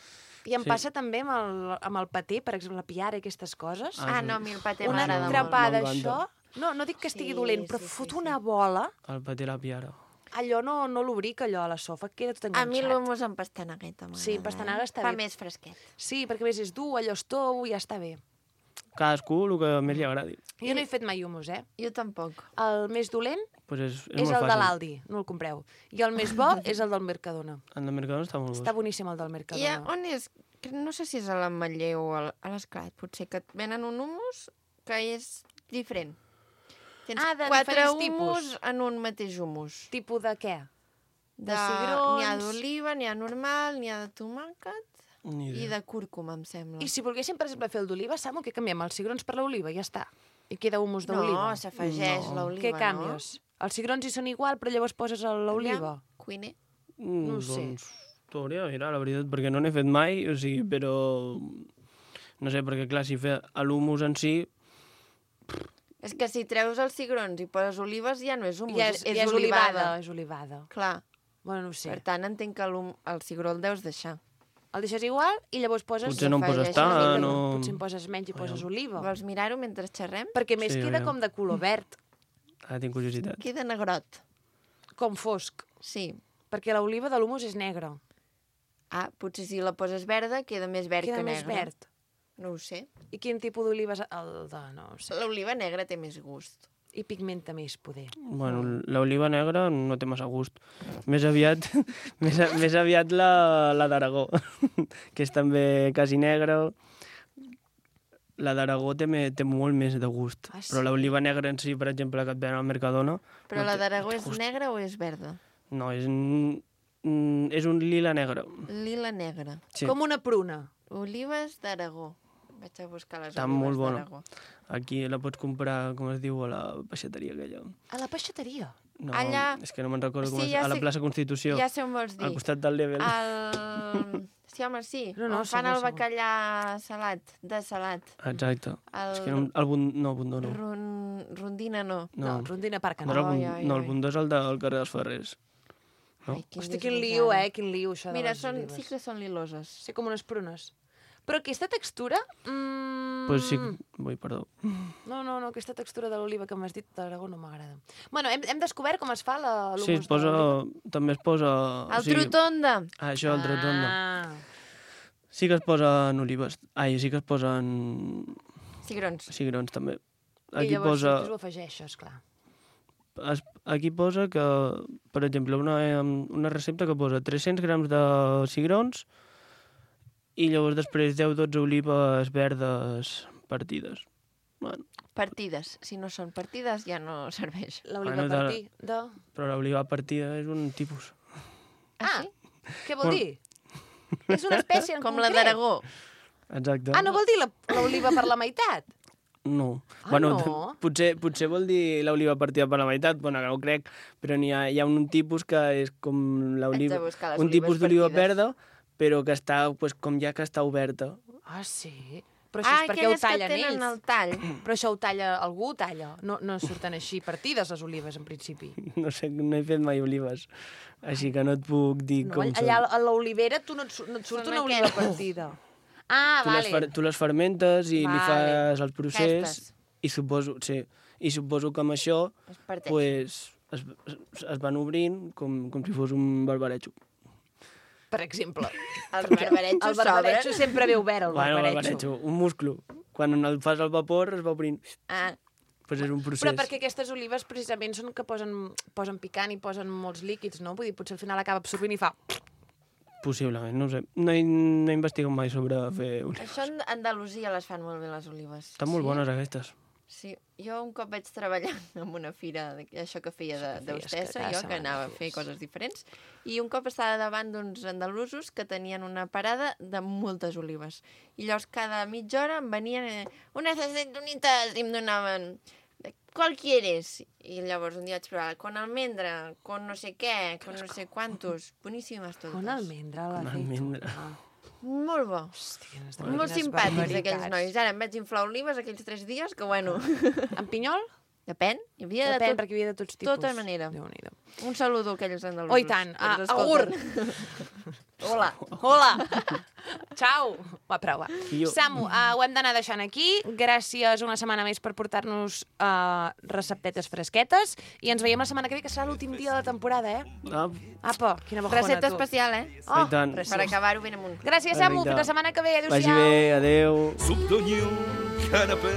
I em Sí. passa també amb el paté, per exemple, la piara i aquestes coses. Ah, no, a mi el paté Un m'agrada molt. entrepà M'encanta. d'això... No dic que estigui Sí, dolent, però sí, sí, fot sí. una bola. El paté la piara. Allò no l'obric, allò a la sofa, queda tot A mi enganxat. l'humus amb pastanagueta m'agrada. Sí, pastanaga està Fa bé. més fresquet. Sí, perquè a més és dur, allò és tou i ja està bé. Cadascú el que més li agradi. Jo no he fet mai humus, Jo tampoc. El més dolent Pues és És molt el de fàcil. l'Aldi, no el compreu. I el més bo és el del Mercadona. El de Mercadona està molt bo. Està boníssim el del I Mercadona. on és? No sé si és a l'Ametller o a l'Esclat, potser, que et venen un hummus que és diferent. Tens De 4 diferents tipus. hummus en un mateix hummus. Tipus de què? De cigrons. N'hi ha d'oliva, n'hi ha normal, n'hi ha de tomàquet Ni i idea. de cúrcuma, em sembla. I si volguéssim, per exemple, fer el d'oliva, Samu, què canviem? Els cigrons per l'oliva, ja està. I queda hummus No, d'oliva. s'afegeix l'oliva, Què canvies? Els cigrons hi són igual, però llavors poses l'oliva. Cuiner. No ho sé. Doncs t'ho hauria de mirar, la veritat, perquè no n'he fet mai, o sigui, però... No sé, perquè clar, si fer l'humus en si... És que si treus els cigrons i poses olives ja no és hummus, Ja és olivada. És olivada. Clar, Bueno, no ho sé. per tant entenc que el cigró el deus deixar. El deixes igual i llavors poses... Potser no em poses s'afegeixen tant, no... o... Potser en poses menys i poses oliva. Vols mirar-ho mentre xerrem? Perquè a més Sí, queda aviam. com de color verd, Ah, tinc curiositat. Queda negrot. com fosc. Sí. Perquè l'oliva de l'humus és negra. Ah, potser si la poses verda queda més verd Queda que més negre. verd. No ho sé. I quin tipus d'oliva és el de... No ho sé. L'oliva negra té més gust. I pigmenta més, poder. Bueno, l'oliva negra no té massa gust. Més aviat, més aviat la d'Aragó, que és també quasi negra. La d'Aragó té molt més de gust. Ah, sí? Però l'oliva negra en si, per exemple, que et ven al Mercadona... Però no la té d'Aragó és gust. negra o és verda? No, és un lila negre. Lila negra. Sí. Com una pruna. Olives d'Aragó. Vaig a buscar les Està olives molt bona. d'Aragó. Aquí la pots comprar, com es diu, a la peixateria aquella. A la peixateria. No, Allà- és que no me'n recordo com Sí, és. ja A la sé- plaça Constitució, Ja sé on vols dir. al costat del Level. Sí, home, sí. No, On fan segur, el segur. bacallà salat, de salat. Exacte. El... És que no, no, Bundó no. Rondina no. No, Rondina Parc No, no. no, el Bundó és el del carrer dels Ferrers. No? Ai, Hosti, quin lío, quin lío, això de Mira, les olives. sí que són liloses. Sí, com unes prunes. Però aquesta textura... Pues sí, ui, perdó. No, aquesta textura de l'oliva que m'has dit d'Aragó no m'agrada. Bueno, hem descobert com es fa l'humus Sí, també es posa... El trutonda. Ah, això, el trutonda. Ah, Sí que es posen olives. Ai, sí que es posen Cigrons. cigrons, també. i Aquí llavors posa... ho afegeixes, clar. Aquí posa que, per exemple, una recepta que posa 300 grams de cigrons i llavors després 10-12 olives verdes partides. Bueno, Partides. Si no són partides, ja no serveix. L'oliva Bueno, partí de... però l'oliva partida és un tipus. Ah, què vol Bueno. dir? És una espècie en Com la concret. d'Aragó. Exacte. Ah, no vol dir l'oliva per la meitat? No. Ah, bueno, no? potser vol dir l'oliva partida per la meitat, bueno, no ho crec, però hi ha un tipus que és com l'oliva... Haig de buscar les Un olives tipus d'oliva partides. verda, però que està, pues, com ja que està oberta. Ah, sí? Però això és perquè ho aquelles que tallen tenen ells. el tall. Però això ho talla, algú ho talla. No surten així partides les olives, en principi. No sé, no he fet mai olives, així que no et puc dir No, com allà són. a l'olivera no et surt Són una oliva aquestes. partida. Ah, vale. Tu les fermentes i li Vale. fas el procés Aquestes. i suposo que amb això Es parteix. pues, es van obrint com si fos un barbarejo. Per exemple. Els barbaretxos El barbaretxo s'obren. sempre ve obert, el Bueno, barbaretxo. un musclo. Quan el fas al vapor es va obrint. Ah, Pues és un procés. Però perquè aquestes olives precisament són que posen picant i posen molts líquids, no? Vull dir, potser al final acaba absorbint i fa... Possiblement, no ho sé. No he investigat mai sobre fer olives. això a Andalusia les fan molt bé, les olives. Estan molt bones aquestes. Sí, jo un cop vaig treballar en una fira, això que feia d'hostessa, jo que anava a fer coses diferents, i un cop estava davant d'uns andalusos que tenien una parada de moltes olives. I llavors cada mitja hora em venien unes aceitunitas i em donaven ¿cuál quieres? I llavors un dia vaig provar con almendra, con no sé què, con no sé quantos. Boníssimes totes. Con almendra, la almendra. Molt bo. Hòstia, Molt simpàtics aquells nois. Ara em vaig inflar olives aquells 3 dies, que bueno... En pinyol? Depèn. Hi havia de Depèn, tot. perquè hi havia de tots tipus. Tota manera. Déu-n'hi-do. Un saludo a aquells andalusos. Oh, i tant. que ens Agur! escolten. Hola. Hola! Ciao! Va, prou, va. Jo. Samu, ho hem d'anar deixant aquí. Gràcies una setmana més per portar-nos receptetes fresquetes. I ens veiem la setmana que ve, que serà l'últim dia de la temporada, eh? Ah, Apa, quina bajona, Recepta tu. especial, eh? I tant. Per acabar-ho ben amunt. Gràcies, Samu. Perfecte. Fins la setmana que ve. vagi Adéu-siau. bé, adeu. Soupe d'oignon, canapé,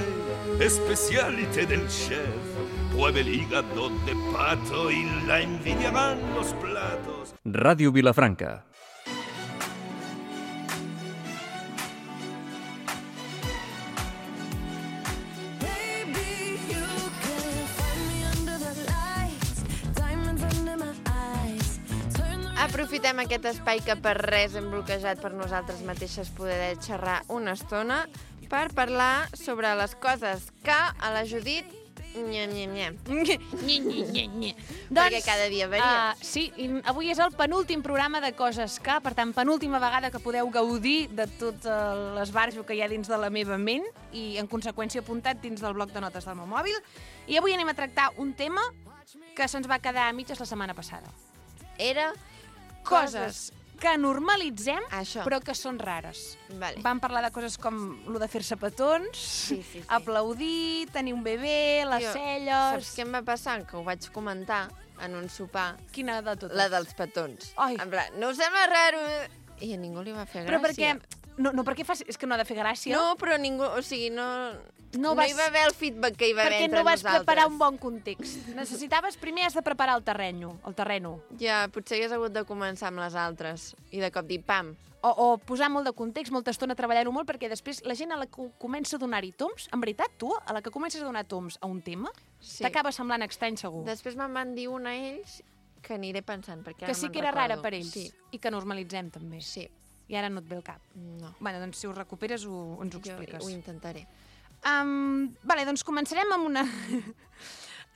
et spécialité del chef. pruebe el hígado de pato y la envidiarán los platos. Ràdio Vilafranca. Aprofitem aquest espai que per res hem bloquejat per nosaltres mateixes poder xerrar una estona per parlar sobre les coses que a la Judit perquè cada dia varia. Sí, i avui és el penúltim programa de Coses que, per tant, penúltima vegada que podeu gaudir de tot l'esbarjo que hi ha dins de la meva ment i, en conseqüència, apuntat dins del bloc de notes del meu mòbil. I avui anem a tractar un tema que se'ns va quedar a mitges la setmana passada. Era Coses que normalitzem, Això. però que són rares. Vale. Vam parlar de coses com lo de fer-se petons, Sí. aplaudir, tenir un bebè, les celles... Saps què em va passar? Que ho vaig comentar en un sopar. Quina de totes? La dels petons. Ai. En plan, no us sembla raro? I a ningú li va fer gràcia. Però perquè... No, perquè és que no ha de fer gràcia. No, però ningú... O sigui, no vas- hi va haver el feedback que hi va haver Perquè entre no vas nosaltres. preparar un bon context. Primer has de preparar el terreno. Ja, potser hagués hagut de començar amb les altres. I de cop dir, pam. O posar molt de context, molta estona treballant-ho molt, perquè després la gent a la que comença a donar-hi toms, en veritat, tu, a la que comences a donar toms a un tema, Sí. t'acaba semblant estrany, segur. Després me'n van dir una a ells que aniré pensant, perquè Que ara sí me'n que era rara recordo. per ells. Sí, I que normalitzem, també. sí. I ara no et ve el cap. No. Bueno, doncs si ho recuperes ens ho expliques. Jo ho intentaré. Vale, doncs començarem amb una...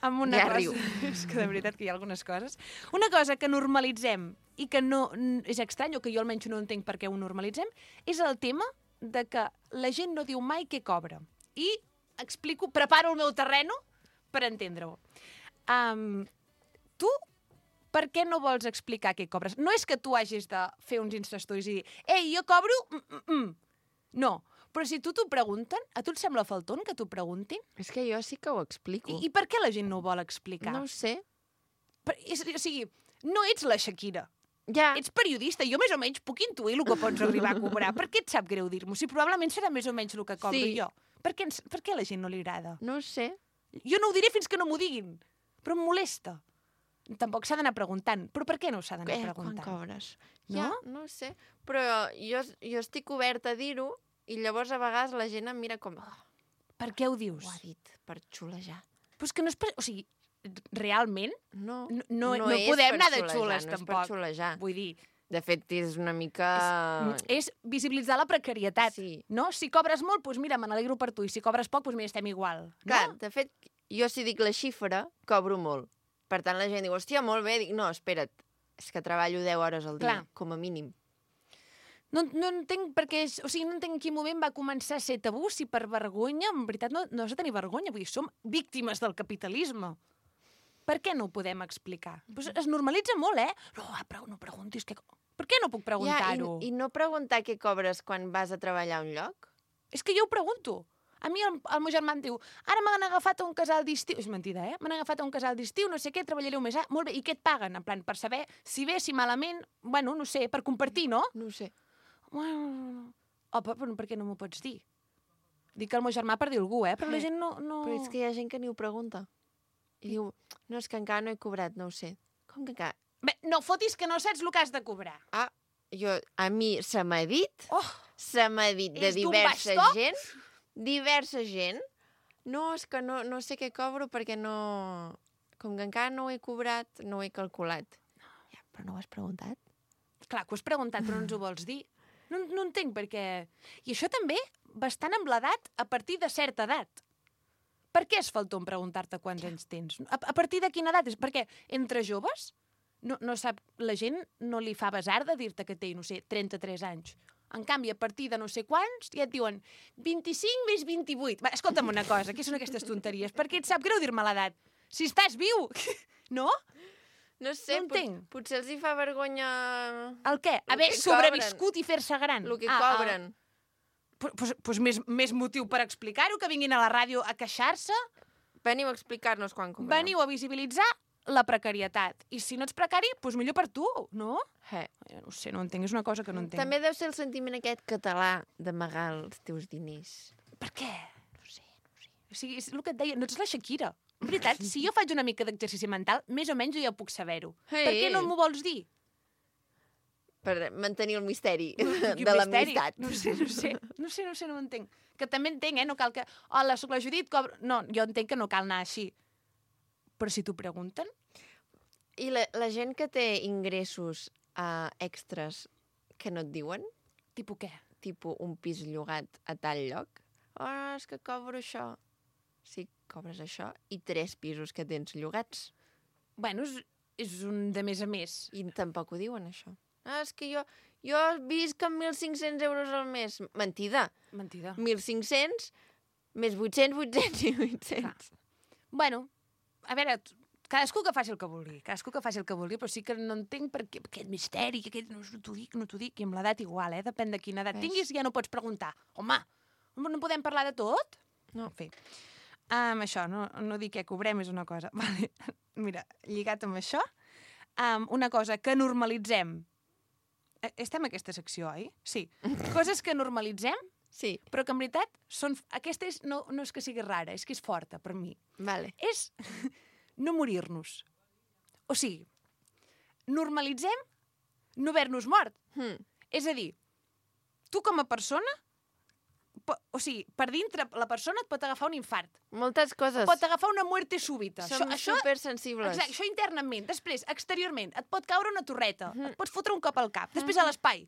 amb una Ja cosa. riu. És que de veritat que hi ha algunes coses. Una cosa que normalitzem i que no és estrany, o que jo almenys no entenc per què ho normalitzem, és el tema de que la gent no diu mai què cobra. I preparo el meu terreno per entendre-ho. Tu, per què no vols explicar què cobres? No és que tu hagis de fer uns instastories i dir «Ei, jo cobro...» No, però si t'ho pregunten, a tu et sembla falton que t'ho preguntin? És que jo sí que ho explico. I per què la gent no ho vol explicar? No ho sé. O sigui, no ets la Shakira. Ja. Ets periodista, jo més o menys puc intuir el que pots arribar a cobrar. Per què et sap greu dir-m'ho? Si probablement serà més o menys el que cobro Sí. jo. Per què a la gent no li agrada? No ho sé. Jo no ho diré fins que no m'ho diguin, però em molesta. Tampoc s'ha d'anar preguntant. Però per què no s'ha d'anar Quan preguntant? cobres? No? Ja, no ho sé. Però jo estic oberta a dir-ho i llavors a vegades la gent em mira com... Oh, Per què ho dius? ho ha dit per xulejar. Però és que no és per... O sigui, realment No, no és podem per anar de xulejar, xules, no és per tampoc. xulejar. Vull dir, De fet, és una mica... és visibilitzar la precarietat. Sí. No? Si cobres molt, doncs mira, me n'alegro per tu. I si cobres poc, doncs mira, estem igual. Clar, No? de fet, jo si dic la xifra, cobro molt. Per tant, la gent diu, hòstia, molt bé. Dic, no, espera't, és que treballo 10 hores al dia, Clar. com a mínim. No entenc per què... O sigui, no entenc en quin moment va començar a ser tabú, si per vergonya, en veritat no has de tenir vergonya, vull dir, som víctimes del capitalisme. Per què no ho podem explicar? Pues es normalitza molt, No, però no preguntis què... Per què no puc preguntar-ho? I no preguntar què cobres quan vas a treballar a un lloc? És que jo ho pregunto. A mi el meu germà em diu, ara m'han agafat a un casal d'estiu... És mentida, M'han agafat a un casal d'estiu, no sé què, treballaré un mes. Ah, molt bé, i què et paguen? En plan, per saber si bé, si malament... Bueno, no sé, per compartir, no? No ho sé. Bueno, però per què no m'ho pots dir? Dic el meu germà per dir algú, però la gent no... Però és que hi ha gent que ni ho pregunta. I diu, no, és que encara no he cobrat, no ho sé. Com que encara? Bé, no fotis que no saps el que has de cobrar. Ah, a mi se m'ha dit, Oh, se m'ha dit de És d'un diversa bastó? diversa gent, no, és que no sé què cobro perquè no... Com que encara no ho he cobrat, no ho he calculat. Ja, però no ho has preguntat? clar, que ho has preguntat, però no ens ho vols dir. No entenc per què... I això també bastant amb l'edat a partir de certa edat. Per què és falton preguntar-te quants anys tens? A partir de quina edat? És perquè entre joves no sap, la gent no li fa besar de dir-te que té, no sé, 33 anys. En canvi, a partir de no sé quants, ja et diuen 25 més 28. Va, escolta'm una cosa, què són aquestes tonteries? Per què et sap greu dir-me l'edat? Si estàs viu, no? No sé, No entenc. potser els hi fa vergonya El què? Haver que sobreviscut i fer-se gran. el que cobren. Pues més motiu per explicar-ho, que vinguin a la ràdio a queixar-se. Veniu a explicar-nos quan cobreu. Veniu a visibilitzar la precarietat. I si no ets precari, doncs millor per tu, no? No sé, no entenc, és una cosa que no entenc. També deu ser el sentiment aquest català d'amagar els teus diners. Per què? No sé. O sigui, és el que et deia, no ets la Shakira. veritat, si jo faig una mica d'exercici mental, més o menys jo ja puc saber-ho. Ei, Per què no ei. m'ho vols dir? Per mantenir el misteri Quin de misteri. l'amistat. No ho entenc. Que també entenc, no cal que... Hola, sóc la Judit, cobro... No, jo entenc que no cal anar així. Però si t'ho pregunten... I la gent que té ingressos extras que no et diuen, Tipus què? tipus un pis llogat a tal lloc, és que cobro això. Sí, cobres això i 3 pisos que tens llogats. Bueno, és un de més a més. I tampoc ho diuen, això. És que jo visc amb 1.500 euros al mes. Mentida. Mentida. 1.500 més 800, 800 i 800. Bueno, a veure, cadascú que faci el que vulgui, però sí que no entenc per què aquest misteri, que aquest, no t'ho dic, i amb l'edat igual, depèn de quina edat tinguis, ja no pots preguntar. Home, no podem parlar de tot? No. En fi, això, no dir què cobrem és una cosa. Vale. Mira, lligat amb això, una cosa que normalitzem. Estem a aquesta secció, oi? Sí. Coses que normalitzem, Sí, però que en veritat són... Aquesta no és que sigui rara, és que és forta per mi. vale. És no morir-nos. O sigui, normalitzem no haver-nos mort. És a dir, tu com a persona, o sigui, per dintre la persona et pot agafar un infart. Moltes coses. Pot agafar una muerte súbita. Som supersensibles. Exacte, això internament. Després, exteriorment, et pot caure una torreta. Et pots fotre un cop al cap. Després a l'espai.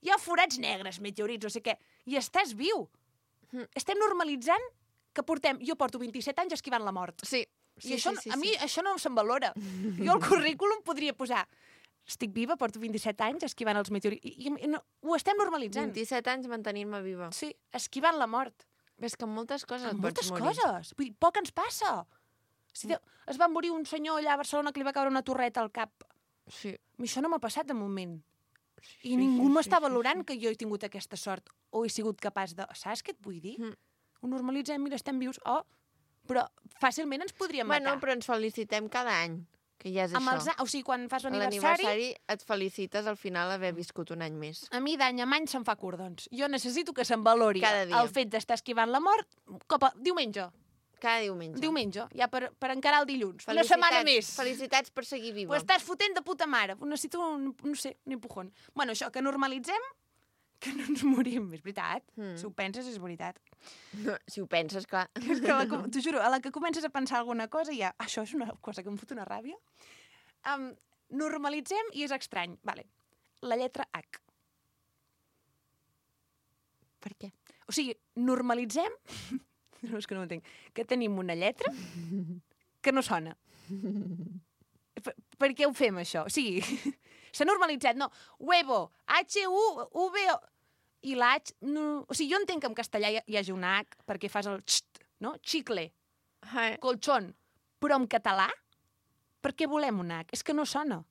Hi ha forats negres, meteorits, no sé què. I estàs viu. Estem normalitzant que portem... Jo porto 27 anys esquivant la mort. Sí. I això, a mi això no se'm valora. Jo al currículum podria posar estic viva, porto 27 anys esquivant els meteorits. I no, ho estem normalitzant. 27 anys mantenint-me viva. Sí, esquivant la mort. És que amb moltes coses Amb et pots moltes morir. coses. Vull dir, poc ens passa. Si es va morir un senyor allà a Barcelona que li va caure una torreta al cap. Sí. A mi això no m'ha passat de moment. I ningú m'està valorant que jo he tingut aquesta sort o he sigut capaç de... Saps què et vull dir? Ho normalitzem, mira, estem vius. Oh, però fàcilment ens podríem Bueno, matar. però ens felicitem cada any, que ja és Amb això. o sigui, quan fas A l'aniversari, l'aniversari et felicites al final haver viscut un any més. a mi d'any en any se'm fa cordons. Jo necessito que se'm valori Cada dia. el fet d'estar esquivant la mort diumenge. Cada diumenge. Diumenge, ja per encarar el dilluns. Una setmana més. Felicitats per seguir viva. Ho estàs fotent de puta mare. Necessito, no sé, un empujón. Bueno, això, que normalitzem que no ens morim. És veritat. Si ho penses, és veritat. No, si ho penses, clar. És que t'ho juro, a la que comences a pensar alguna cosa ja... Això és una cosa que em fot una ràbia. Normalitzem i és estrany. Vale. La lletra H. Per què? O sigui, normalitzem... No, és que no ho entenc. Que tenim una lletra que no sona. Per què ho fem, això? O sigui, s'ha normalitzat, no. Huevo, H-U-V-O... I la H... No. O sigui, jo entenc que en castellà hi hagi una H perquè fas el xt, no? Chicle, colchón. Però en català, per què volem una H? És que no sona.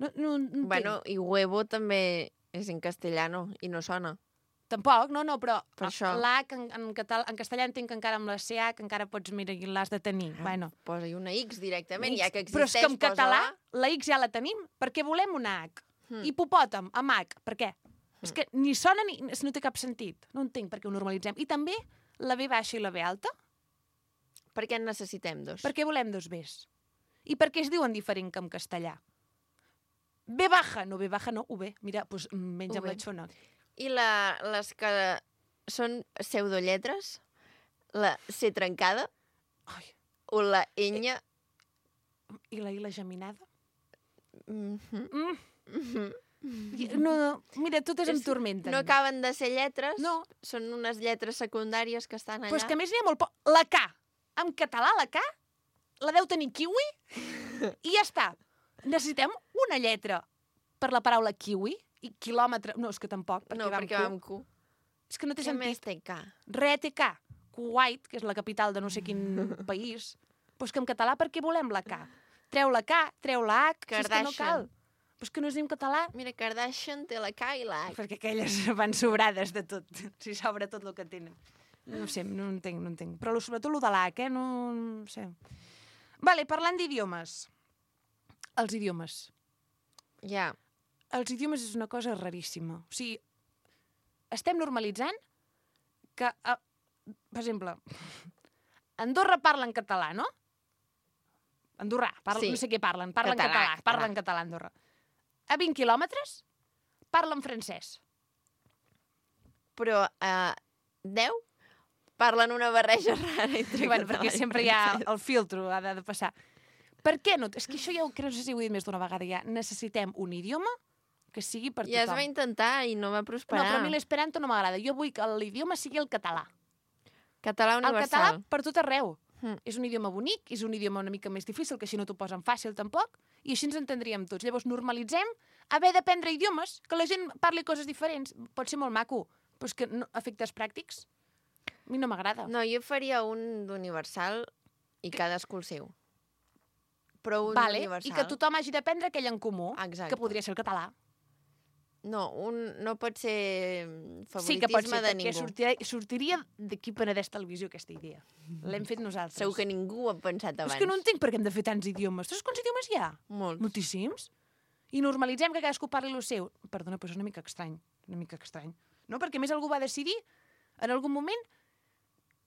No entenc. Bueno, i huevo també és en castellano i no sona. Tampoc, no, però Per això. l'H en castellà entenc que encara amb la CH encara pots, mira, l'has de tenir. Bueno. Posa-hi una X directament, ja que Però existeix, és que en català posa-la. la X ja la tenim. Per què volem una H? Hipopòtam, amb H. Per què? És que ni sona ni... No té cap sentit. No entenc per què ho normalitzem. I també la B baixa i la B alta. Per què en necessitem dos? Per què volem dos Bs? I per què es diuen diferent que en castellà? B baja, no, UB. Mira, doncs menja amb UB. la xona. I les que són pseudolletres? La C trencada? Ai, O la ñ? i la I la geminada? Mhm. No, mira, totes em tormenten. No acaben de ser lletres, No. són unes lletres secundàries que estan allà. Però és que a més n'hi ha molt poc. La K. En català, la K la deu tenir kiwi i ja està. Necessitem una lletra per la paraula kiwi i quilòmetre... No, és que tampoc, perquè no, va amb perquè Q. va amb Q. És que no té Què més sentit. té K? Re té K. Kuwait, que és la capital de no sé quin país. Però és que en català per què volem la K? Treu la K, treu la H, si és que no Kardashian. cal. Però és que no es diu en català. Mira, Kardashian té la K i la H. Perquè aquelles van sobrades de tot. Si sobra tot el que tenen. No sé, no entenc. Però sobretot el de l'H, no sé. Vale, parlant d'idiomes. Els idiomes. Ja. Els idiomes és una cosa raríssima. O sigui, estem normalitzant que, per exemple, Andorra parla en català, no? Andorrà, Sí. no sé què parlen català, parlen català a Andorra. A 20 quilòmetres parlen francès. Però a 10 parlen una barreja rara entre Bueno, català perquè i sempre hi ha francès. el filtro, ha de passar. Per què no? És que això ja ho crec, no sé si ho he dit més d'una vegada ja. Necessitem un idioma que sigui per Ja es tothom. va intentar i no va No, prosperar. però a mi l'esperanto no m'agrada. Jo vull que l'idioma sigui el català. Català El universal. català per tot arreu. Mm. És un idioma bonic, és un idioma una mica més difícil, que així no t'ho posen fàcil tampoc, i així ens entendríem tots. Llavors normalitzem haver d'aprendre idiomes, que la gent parli coses diferents. Pot ser molt maco, però és que no, efectes pràctics a mi no m'agrada. No, jo faria un d'universal i cadascú el seu. Però un Vale, universal... i que tothom hagi d'aprendre aquell en comú, Exacte. que podria ser el català. No, no pot ser favoritisme Sí que pot ser, de perquè ningú. sortiria d'aquí Penedès Televisió aquesta idea. L'hem fet nosaltres. Segur que ningú ho ha pensat Però abans. és que no entenc per què hem de fer tants idiomes. Saps quants idiomes hi ha? Molts. Moltíssims. I normalitzem que cadascú parli el seu. Perdona, però és una mica estrany. Una mica estrany. No? Perquè a més algú va decidir, en algun moment,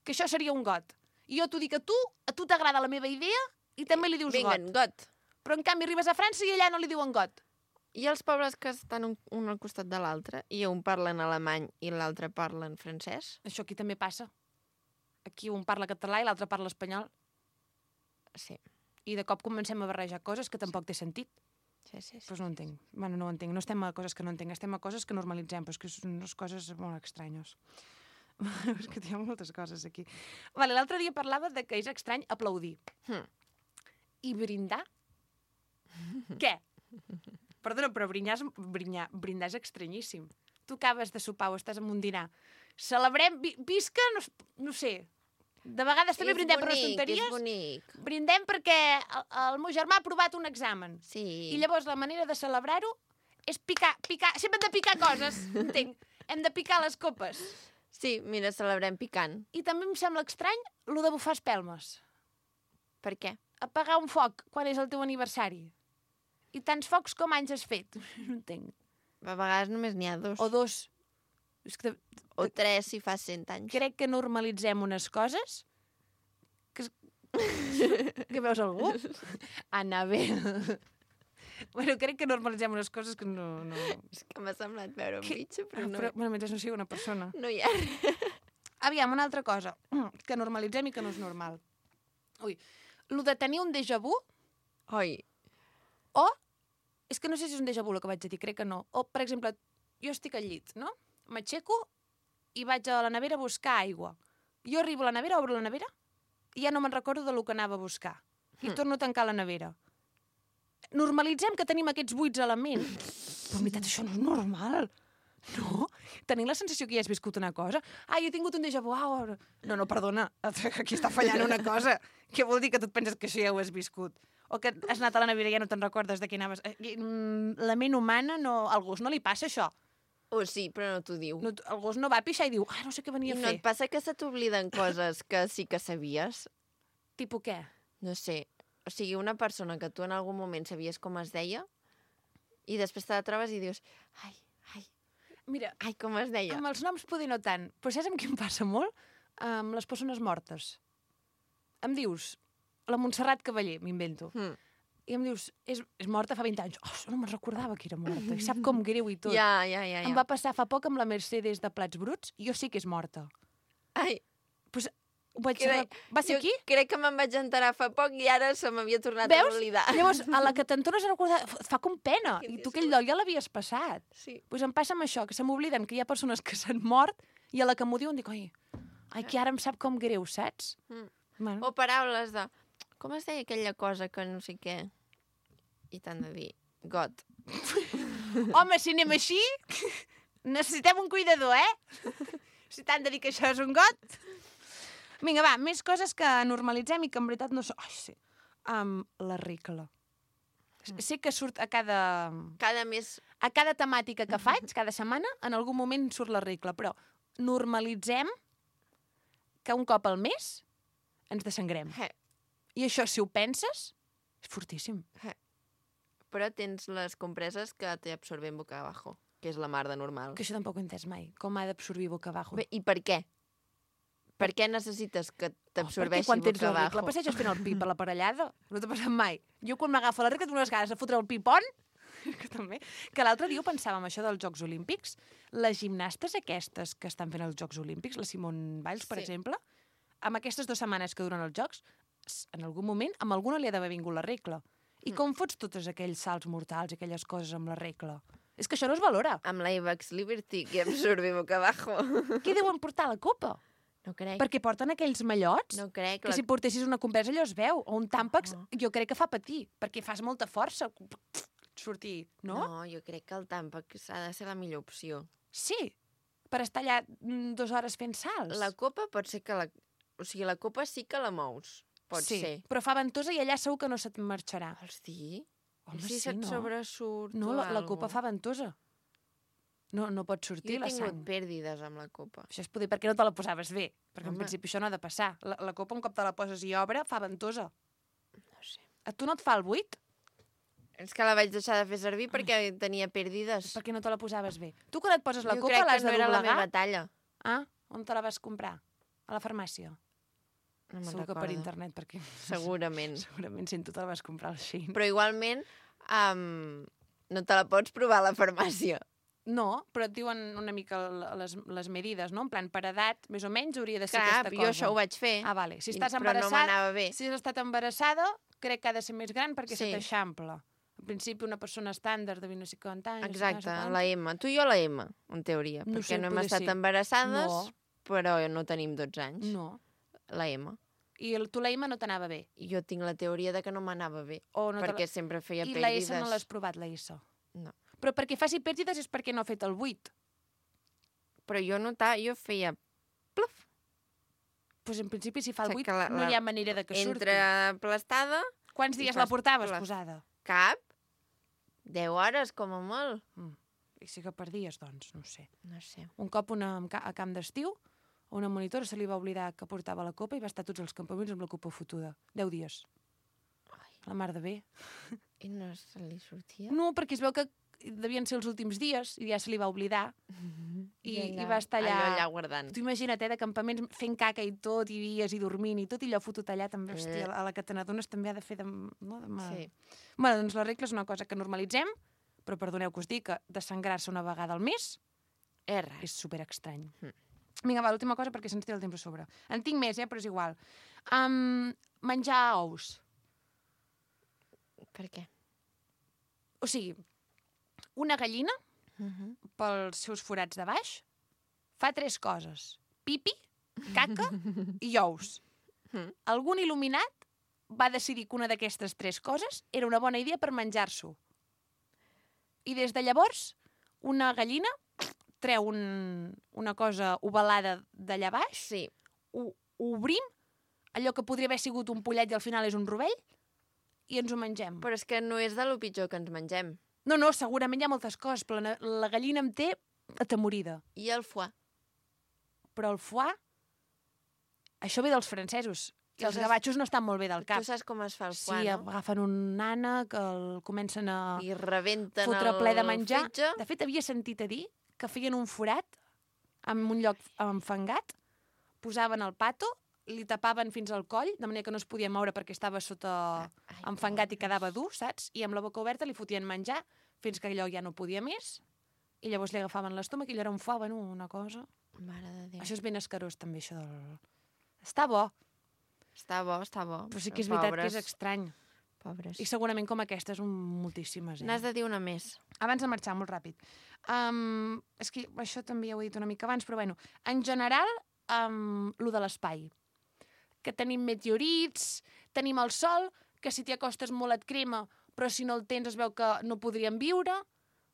que això seria un got. I jo t'ho dic a tu t'agrada la meva idea i també li dius Vinga, got. got. Però en canvi arribes a França i allà no li diuen got. I els pobles que estan un al costat de l'altre i un parla en alemany i l'altre parla en francès? Això aquí també passa. Aquí un parla català i l'altre parla espanyol. Sí. I de cop comencem a barrejar coses que tampoc té sentit. Sí. Doncs no ho entenc. Bueno, no ho entenc. No estem a coses que no entenc, estem a coses que normalitzem, però és que són unes coses molt estranyes. És que hi ha moltes coses aquí. Vale, l'altre dia parlava de que és estrany aplaudir. I brindar? Què? Perdona, però brindar és estranyíssim. Tu acabes de sopar o estàs en un dinar. Celebrem, visca, no sé. De vegades també brindem per unes tonteries. És bonic. Brindem perquè el meu germà ha aprovat un examen. Sí. I llavors la manera de celebrar-ho és picar. Sempre hem de picar coses, entenc. Hem de picar les copes. Sí, mira, celebrem picant. I també em sembla estrany lo de bufar espelmes. Per què? Apagar un foc quan és el teu aniversari. I tants focs com anys has fet. No entenc. A vegades només n'hi ha 2. O 2. És que O 3 si fa 100 anys. crec que normalitzem unes coses que veus algú? Anabel. Bueno, crec que normalitzem unes coses que no... És que m'ha semblat veure un bitxo, però no. Bueno, mentre no sigui una persona. No hi ha res. Aviam, una altra cosa que normalitzem i que no és normal. Ui, lo de tenir un déjà vu, Oi, o... És que no sé si és un déjà vu el que vaig a dir, crec que no. O, per exemple, jo estic al llit, no? M'aixeco i vaig a la nevera a buscar aigua. Jo arribo a la nevera, obro la nevera, i ja no me'n recordo del que anava a buscar. I torno a tancar la nevera. Normalitzem que tenim aquests buits a la ment. Però en veritat això no és normal. No? Tenim la sensació que ja has viscut una cosa. Ah, jo he tingut un déjà vu. No, perdona. Aquí està fallant una cosa. Què vol dir que tu et penses que això ja ho has viscut? O que has anat a la nevera i ja no te'n recordes de què anaves. La ment humana, no, al gos no li passa això. o sí, però no t'ho diu. No, el gos no va a pixar i diu, no sé què I venia a no fer. et passa que se t'obliden coses que sí que sabies? Tipo què? No sé. O sigui, una persona que tu en algun moment sabies com es deia i després te la trobes i dius, Mira, com es deia? amb els noms poder no tant, però saps amb qui em passa molt? Amb les persones mortes. Em dius, la Montserrat Cavaller, m'invento. I em dius, és morta fa 20 anys. No me'n recordava que era morta. I sap com greu i tot. Ja. Em va passar fa poc amb la Mercedes de Plats Bruts i jo sé que és morta. Ai, Pues, va ser aquí? Crec que me'n vaig enterar fa poc i ara se m'havia tornat a Veus? oblidar. Llavors, a la que te'n tornes a recordar, et fa com pena. Que I dius, tu aquell lloc ja l'havies passat. Sí. Pues em passa amb això, que se m'obliden que hi ha persones que s'han mort i a la que m'ho diuen dic, ai, que ara em sap com greu, saps? Bueno. O paraules de... Com es deia aquella cosa que no sé què? I t'han de dir, got. Home, si anem així, necessitem un cuidador, Si t'han de dir que això és un got. Vinga, va, més coses que normalitzem i que en veritat no són... Ai, sí. La regla. Sé que surt a cada temàtica que faig, cada setmana, en algun moment surt la regla, però normalitzem que un cop al mes ens desangrem. I això, si ho penses, és fortíssim. Però tens les compreses que te absorben boca abajo, que és la mar de normal. Que això tampoc ho he entès mai. Com ha d'absorbir boca abajo? Bé, i per què? Per què necessites que Perquè t'absorbeixi quan tens boca la regla abajo? passeges fent el pi per la parellada. No t'ha passat mai. Jo quan m'agafa la regla tinc unes ganes de fotre el pipon, que també, que l'altre dia ho pensàvem, això dels Jocs Olímpics. Les gimnastes aquestes que estan fent els Jocs Olímpics, la Simone Biles, per Sí. exemple, amb aquestes 2 setmanes que duren els Jocs, en algun moment, amb alguna li ha d'haver vingut la regla. I com fots tots aquells salts mortals i aquelles coses amb la regla? És que això no es valora. Amb l'Avex Liberty, que absorbe boca abajo. Què deuen portar a la copa? No crec. Perquè porten aquells mallots No crec. que si portessis una compresa allò es veu. O un tàmpax, jo crec que fa patir, perquè fas molta força. Sortir, no? No, jo crec que el Tampax ha de ser la millor opció. Sí, per estar allà 2 hores fent salts. La copa pot ser que la... O sigui, la copa sí que la mous. Pot sí, ser. però fa ventosa i allà segur que no se't marxarà. Vols dir? Home, I si sí, se't no? sobresurt No, o la algo? copa fa ventosa. No pot Jo sortir he la tingut sang. pèrdides amb la copa. Això és poder perquè no te la posaves bé, perquè en Home. principi això no ha de passar. La copa, un cop te la poses i obre, fa ventosa. No sé. A tu no et fa el buit? És que la vaig deixar de fer servir perquè tenia pèrdides. Perquè no te la posaves bé. Tu quan et poses la jo copa crec l'has que no de era la doblegar? meva talla. Ah, on te la vas comprar? A la farmàcia? No me'n Segur que per recordo. internet, perquè Segurament. segurament si tu te la vas comprar al Shein. Però igualment no te la pots provar a la farmàcia. No, però et diuen una mica les medides, no? En plan, per edat, més o menys, hauria de ser Clar, aquesta jo cosa. això ho vaig fer. Ah, vale. Si I- estàs però embarassada... no m'anava bé. Si has estat embarassada, crec que ha de ser més gran perquè Sí. se t'eixampla. En principi, una persona estàndard de 20 no sé quants anys... Exacte, no sé la M. Tu i jo la M, en teoria. No perquè sé, no hem poder estat sí. embarassades, No. però no tenim 12 anys. No. La M. I tu la M no t'anava bé. I jo tinc la teoria de que no m'anava bé. O no te perquè sempre feia I pèrdides. la S no l'has provat, la S. No. Però perquè faci pèrdides és perquè no ha fet el 8. Però jo feia... Pluf! Doncs en principi, si fa el O sigui 8, que no hi ha manera de que surti. Entre aplastada... Quants i dies fas la portaves plaf. posada? Cap? 10 hores, com a molt. I sí que per dies, doncs, no ho sé. No sé. Un cop a camp d'estiu, a una monitora se li va oblidar que portava la copa i va estar tots els campaments amb la copa fotuda. 10 dies. La mar de bé. I no se li sortia? No, perquè es veu que devien ser els últims dies i ja se li va oblidar. I va estar allà... Allò allà guardant. Tu imagina't, de campaments fent caca i tot, i dies, i dormint, i tot, i allò fotut allà també, hòstia, a la que te n'adones també ha de fer de... No, de mal. Sí. Bueno, doncs la regla és una cosa que normalitzem, però perdoneu que us dic que desangrar-se una vegada al mes És rar. és superestrany. Vinga, va, l'última cosa perquè se'ns tira el temps a sobre. En tinc més, però és igual. Menjar ous. Per què? O sigui, una gallina, pels seus forats de baix, fa 3 coses. Pipi, caca i ous. Algun il·luminat va decidir que una d'aquestes 3 coses era una bona idea per menjar-s'ho. I des de llavors, una gallina treu una cosa ovalada d'allà baix, Sí. ho obrim, allò que podria haver sigut un pollet i al final és un rovell, i ens ho mengem. Però és que no és de lo pitjor que ens mengem. No, segurament hi ha moltes coses, però la gallina em té atemorida. I el foie? Però el foie, això ve dels francesos. I Tu els saps- gavatxos no estan molt bé del cap. Tu saps com es fa el Sí, foie, no? agafen un nana que el comencen a I rebenten fotre el ple de menjar. fetge. De fet, havia sentit a dir que feien un forat en un lloc enfangat, posaven el pato, li tapaven fins al coll, de manera que no es podia moure perquè estava sota enfangat i quedava dur, saps? I amb la boca oberta li fotien menjar fins que allò ja no podia més, i llavors li agafaven l'estómac i allò era un foie, bueno, una cosa... Mare de Déu. Això és ben escarós, també, això del... Està bo, Està bo, està bo. però sí que és veritat Pobres, que és estrany. Pobres. I segurament com aquestes, moltíssimes. N'has de dir una més. Abans de marxar, molt ràpid. És que això també ja ho he dit una mica abans, però bueno, en general, lo de l'espai. Que tenim meteorits, tenim el sol, que si t'hi acostes molt et crema, però si no el tens es veu que no podríem viure.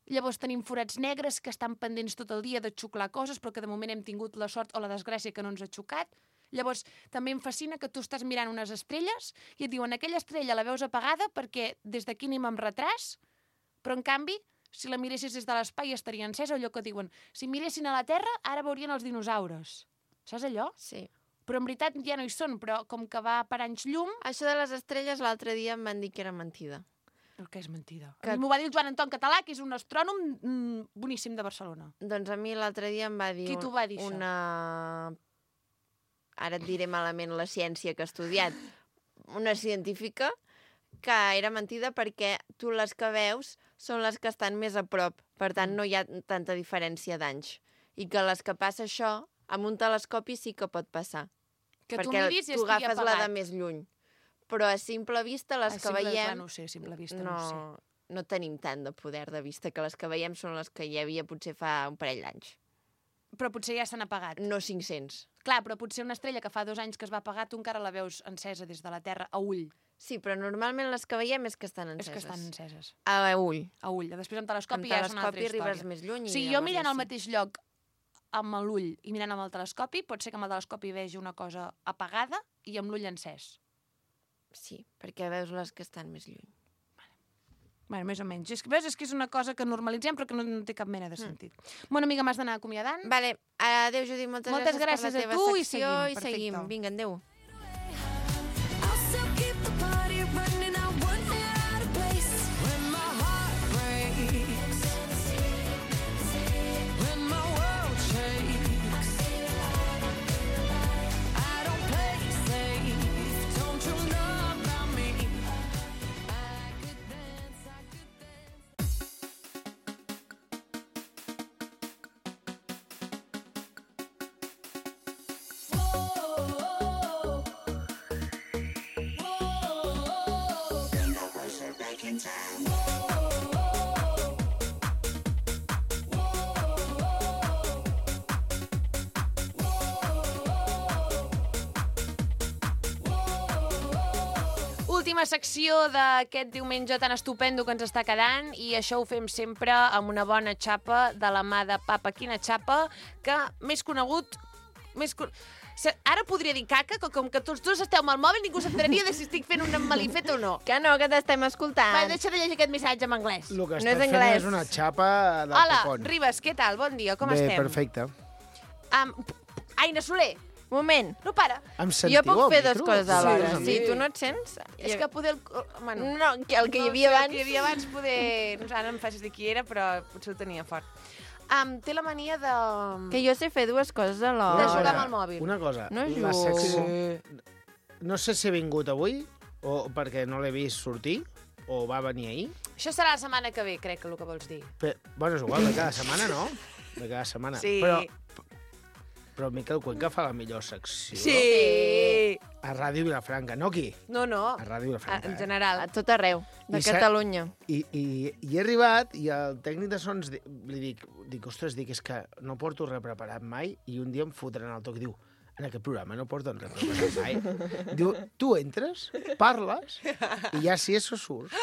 Llavors tenim forats negres que estan pendents tot el dia de xuclar coses, però que de moment hem tingut la sort o la desgràcia que no ens ha xocat. Llavors, també em fascina que tu estàs mirant unes estrelles i et diuen aquella estrella la veus apagada perquè des d'aquí anem amb retras, però en canvi, si la miressis des de l'espai estaria encesa, allò que diuen, si miressin a la Terra, ara veurien els dinosaures. Saps allò? Sí. Però en veritat ja no hi són, però com que va per anys llum... Això de les estrelles l'altre dia em van dir que era mentida. El que és mentida. Que- A mi m'ho va dir el Joan Anton Català, que és un astrònom boníssim de Barcelona. Doncs a mi l'altre dia em va dir... Qui t'ho va dir, això? Una ara et diré malament la ciència que he estudiat, una científica, que era mentida perquè tu les que veus són les que estan més a prop, per tant no hi ha tanta diferència d'anys. I que les que passa això, amb un telescopi sí que pot passar. Que tu perquè miris i tu estigui agafes la de apagat. més lluny. Però a simple vista, les que veiem... Clar, no ho sé, a simple vista no ho sé. no tenim tant de poder de vista, que les que veiem són les que hi havia potser fa un parell d'anys. Però potser ja s'han apagat. No 500. Clar, però potser una estrella que fa 2 anys que es va apagar, tu encara la veus encesa des de la Terra a ull. Sí, però normalment les que veiem és que estan enceses. És que estan enceses. A ull. A ull. Després amb telescopi Amb ja és una altra telescopi història. arribes més lluny. O sigui, jo mirant al mateix lloc amb l'ull i mirant amb el telescopi, pot ser que amb el telescopi vegi una cosa apagada i amb l'ull encès. Sí, perquè veus les que estan més lluny. Bueno, més o menys. Veus, és que és una cosa que normalitzem però que no té cap mena de sentit. Bona amiga, m'has d'anar acomiadant. Vale, adéu, Judit, moltes Moltes gràcies per gràcies la teva a tu i secció seguim, i perfecte. seguim. Vinga, adéu. I'll still keep the party running. I wouldn't get out of place when my heart breaks, when my world shakes. I don't play it safe. Don't you know about me? I could dance, I could dance. Whoa. Última secció d'aquest diumenge tan estupendo que ens està quedant i això ho fem sempre amb una bona xapa de la mà de Papa Quina Xapa, que més conegut... Ara podria dir caca, que com que tots dos esteu amb el mòbil ningú s'enteraria de si estic fent un malifet o no. Que no, que t'estem escoltant. Va, deixa de llegir aquest missatge en anglès. El que No estem és fent anglès. és una xapa del Hola, copon. Ribas, què tal? Bon dia, com Bé, estem? perfecte. Aina Soler, Moment. no para. Em Jo sentiu puc al fer dues micro? coses alhora. Sí. Sí, tu no et sents? És que poder... Bueno, No, que el que hi havia no sé, abans... El que hi havia abans poder... No sé, ara em facis dir qui era, però potser ho tenia fort. Té la mania de... Que jo sé fer dues coses alhora. De jugar amb el mòbil. Una cosa, No la jugo. secció... No sé si ha vingut avui, o perquè no l'he vist sortir, o va venir ahir. Això serà la setmana que ve, crec que el que vols dir. Bueno, és igual, de cada setmana, no? De cada setmana. Sí. Però Miquel Cuenca fa la millor secció Sí! a Ràdio Vilafranca, no aquí, No, no. a Ràdio Vilafranca. En general. A tot arreu, de I sa- Catalunya. I he arribat i el tècnic de sons li dic, ostres, és que no porto res preparat mai i un dia em fotran el toc. Diu, en aquest programa no porten res preparat mai. Diu, tu entres, parles i ja si això surt.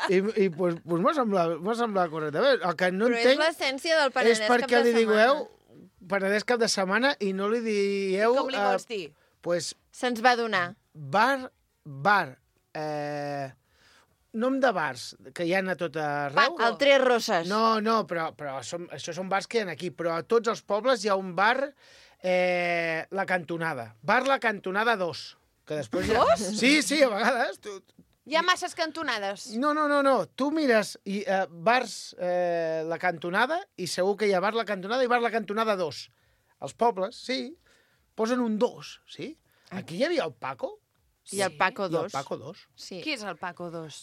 I pues m'ha semblat correcte. El que no Però és entenc l'essència del és Penedès cap perquè de li setmana. digueu Penedès cap de setmana i no li dieu... Com li vols dir? Pues Se'ns va donar. bar, nom de bars que hi ha a tot arreu. Paco. El Tres Roses. No, però això són bars que hi ha aquí, però a tots els pobles hi ha un bar, La Cantonada. Bar La Cantonada 2. Que després Dos? Sí, a vegades. Hi ha masses cantonades. No. Tu mires bars La Cantonada i segur que hi ha bar La Cantonada i bar La Cantonada 2. Els pobles, sí, posen un 2, sí? Aquí hi havia el Paco I el Paco i el 2. Paco 2. Sí. Qui és el Paco 2?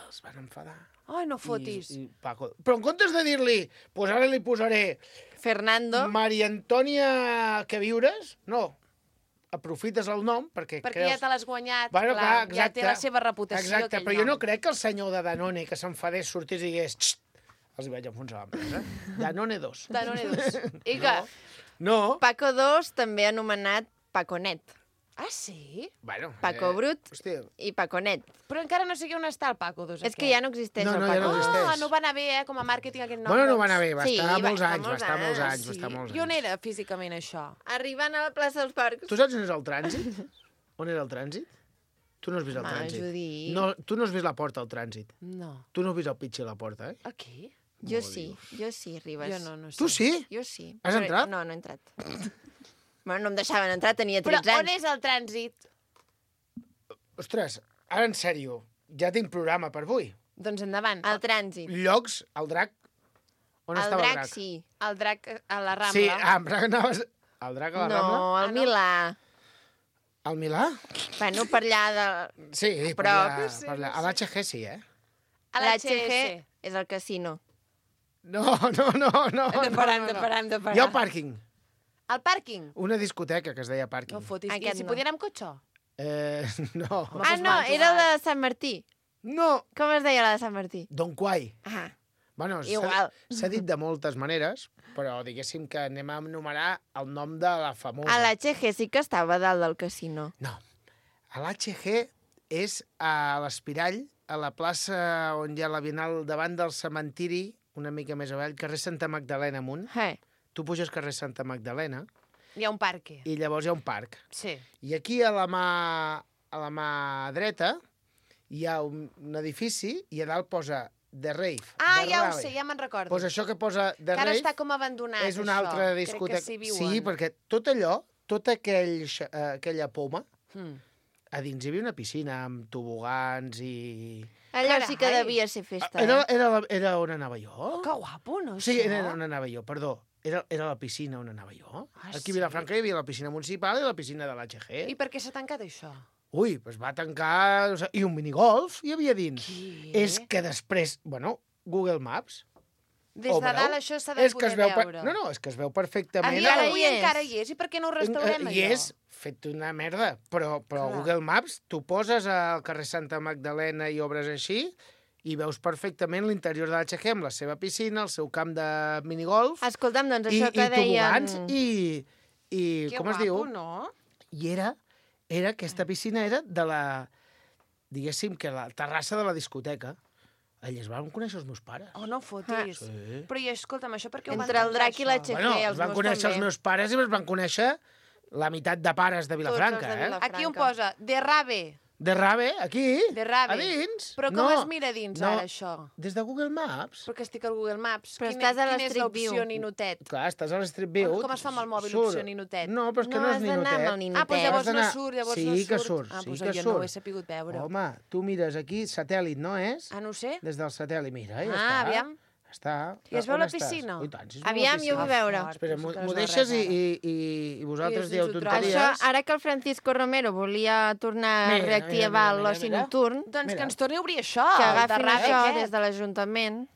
Es van enfadar. Ai, no fotis. I Paco... Però en comptes de dir-li, pues ara li posaré Fernando. Maria Antònia que viures, no. Aprofites el nom perquè Perquè ja creus... te l'has guanyat, Bueno, clar, clar, ja té la seva reputació. Exacte, aquell però jo no nom. crec que el senyor de Danone que s'enfadés sortís i digués "Xt, els hi vaig enfonsar l'empresa. Danone 2. Danone 2. I que... No. Paco 2, també anomenat Paconet. Ah, sí? Bueno, Paco Brut hòstia, i Paconet. Però encara no sé on està el Paco 2. És que ja no existeix No, el ja Paco no 2. existeix. Ah, no va anar bé, com a màrqueting aquest nom. bueno, no doncs. va anar bé, va Sí, estar va molts estar anys, molts va estar molts anys, anys, va estar molts I on anys. era físicament això? Arribant a la plaça dels Parcs. Tu saps on és el trànsit? On era el trànsit? Tu no has vist el Home, trànsit. Judit. No, tu no has vist la porta al trànsit. No. Tu no has vist el pitxer a la porta, eh? Aquí? Jo sí, Ribas. Jo no sé. Tu sí? Jo sí. Has Però- entrat? No, no he entrat. Bueno, no em deixaven entrar, tenia Però 13 on anys. és el trànsit? Ostres, ara en sèrio, ja tinc programa per avui. Doncs endavant. El trànsit. Llocs, el drac... On El estava drac, el drac? sí. El drac a la Rambla. Sí, em pensava que anaves... El drac a la Rambla? No, al Milà. Al Milà? Bueno, per allà de... Sí, per Però- allà, per allà. A l'HG sí, eh? A L'HG és el casino. No. Deparem. Hi ha un pàrquing. Al pàrquing? Una discoteca que es deia pàrquing. No fotis. I Aquest si no. podien anar amb cotxe? No. Ah, no, era la de Sant Martí. No. Com es deia la de Sant Martí? Don Quai. Ah, Bueno, Igual. s'ha dit de moltes maneres, però diguéssim que anem a enumerar el nom de la famosa. a l'HG sí que estava a dalt del casino. No. A l'HG és a l'Espirall, a la plaça on hi ha la Bienal davant del cementiri, una mica més avall, carrer Santa Magdalena amunt. Tu puges carrer Santa Magdalena Hi ha un parque. i llavors hi ha un parc. Sí. I aquí a la mà dreta hi ha un edifici i a dalt posa The Rave. Ah, The ja ho Rave. sé, ja me'n recordo. Pues això que posa The Que ara Rave està com abandonat, és una això. altra Crec discoteca. que s'hi viuen. Sí, perquè tot allò, tota aquella poma, Mm. a dins hi havia una piscina amb tobogans i... Allò sí que Carai. devia ser festa, Era on anava jo? Que guapo, no? Sí, això? era on anava jo, perdó. Era la piscina on anava jo. Ah, Aquí sí? a Vilafranca hi havia la piscina municipal i la piscina de l'HG. I per què s'ha tancat això? Ui, doncs va tancar... I un minigolf hi havia dins. Què? És que després... Bueno, Google Maps... Des de dalt això s'ha de és que poder es veu veure. No, és que es veu perfectament. Encara hi és. encara hi és. I per què no ho restaurem, I allò? és fet una merda, però Clar. Google Maps, tu poses al carrer Santa Magdalena i obres així i veus perfectament l'interior de l'HG amb la seva piscina, el seu camp de minigolf Escolta'm, doncs i això que deien... tobogans i Que com es guapo, diu? no? I aquesta piscina era de la, diguéssim, que la terrassa de la discoteca. Allà es van conèixer els meus pares. Oh, no fotis. Sí. Però i escolta'm, això per què ho van Entre el tancar, drac i això? l'HG, Bueno, els es van meus conèixer també. els meus pares i es van conèixer la meitat de pares de Vilafranca, de Vilafranca. Aquí on posa, de rave. De Rave, aquí, De Rave. a dins. Però com es mira dins ara, això? Des de Google Maps. Perquè estic al Google Maps. Però estàs a quina és l'Street View. l'opció ninotet? Clar, estàs a l'Street View. Com es fa amb el mòbil, surt. opció ninotet? No, però és que No no, és has d'anar amb el ninotet. ninotet. Ah, doncs llavors Has no d'anar- surt, llavors sí no surt. Que surt, Ah, sí doncs que jo surt. no ho he sapigut veure. Home, tu mires aquí, satèl·lit, no és? Ah, no ho sé. Des del satèl·lit, mira, ja Ah, està. aviam. Està. I es veu On la estàs? piscina? Oh, i tant, sí, es veu la Aviam, jo piscina. vull veure. Fort, Espera, penso que m'ho no es veu deixes res ara. i vosaltres I dieu ens ho tonteries? Això, ara que el Francisco Romero volia tornar a Mira, reactivar mira, l'oci mira. nocturn, Doncs Mira. que ens torni a obrir això, que el de agafin rave això aquest. des de l'Ajuntament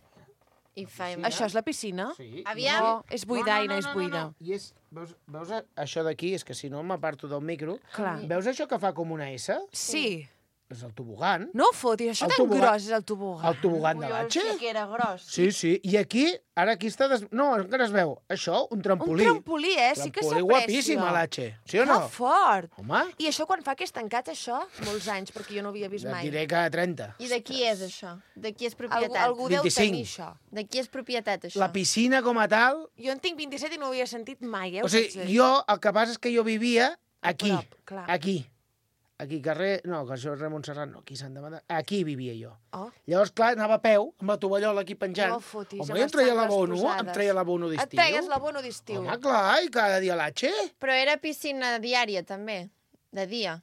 i faim. Això és la piscina? Sí. Aviam. No, és buidaina, és buida. I és, veus això d'aquí? És que si no m'aparto del micro. Clar. Veus això que fa com una S? Sí. És el tobogan. No fotis, això El tan tobogan. gros és el tobogan. El tobogan de Ui, el l'Atxe. sí que era gros. Sí, sí. I aquí, ara aquí està... No, encara es veu. Això, un Un trampolí. trampolí, sí que Trampolí s'aprecia. guapíssim a l'Atxe. Sí o no? Que fort. Home, I això quan fa que és tancat, això? Molts anys, perquè jo no ho havia vist et mai. diré que 30. I de qui és això? De qui és Algú, propietat? algú deu 25. tenir això. De qui és propietat, això? La piscina com a tal... Jo en tinc 27 i no ho havia sentit mai, O sigui, jo, el que passa és que jo vivia aquí. prop, clar. Aquí. Aquí, carrer... No, que això és Ramon Serrat, no, aquí Sant Demanda. Aquí vivia jo. Oh. Llavors, clar, anava a peu, amb la tovallola aquí penjant. No fotis, Home, amb jo em treia les l'abono, sangles em treia l'abono Et d'estiu. treies l'abono d'estiu. Home, clar, i cada dia a l'Atxe. Però era piscina diària, també. De dia.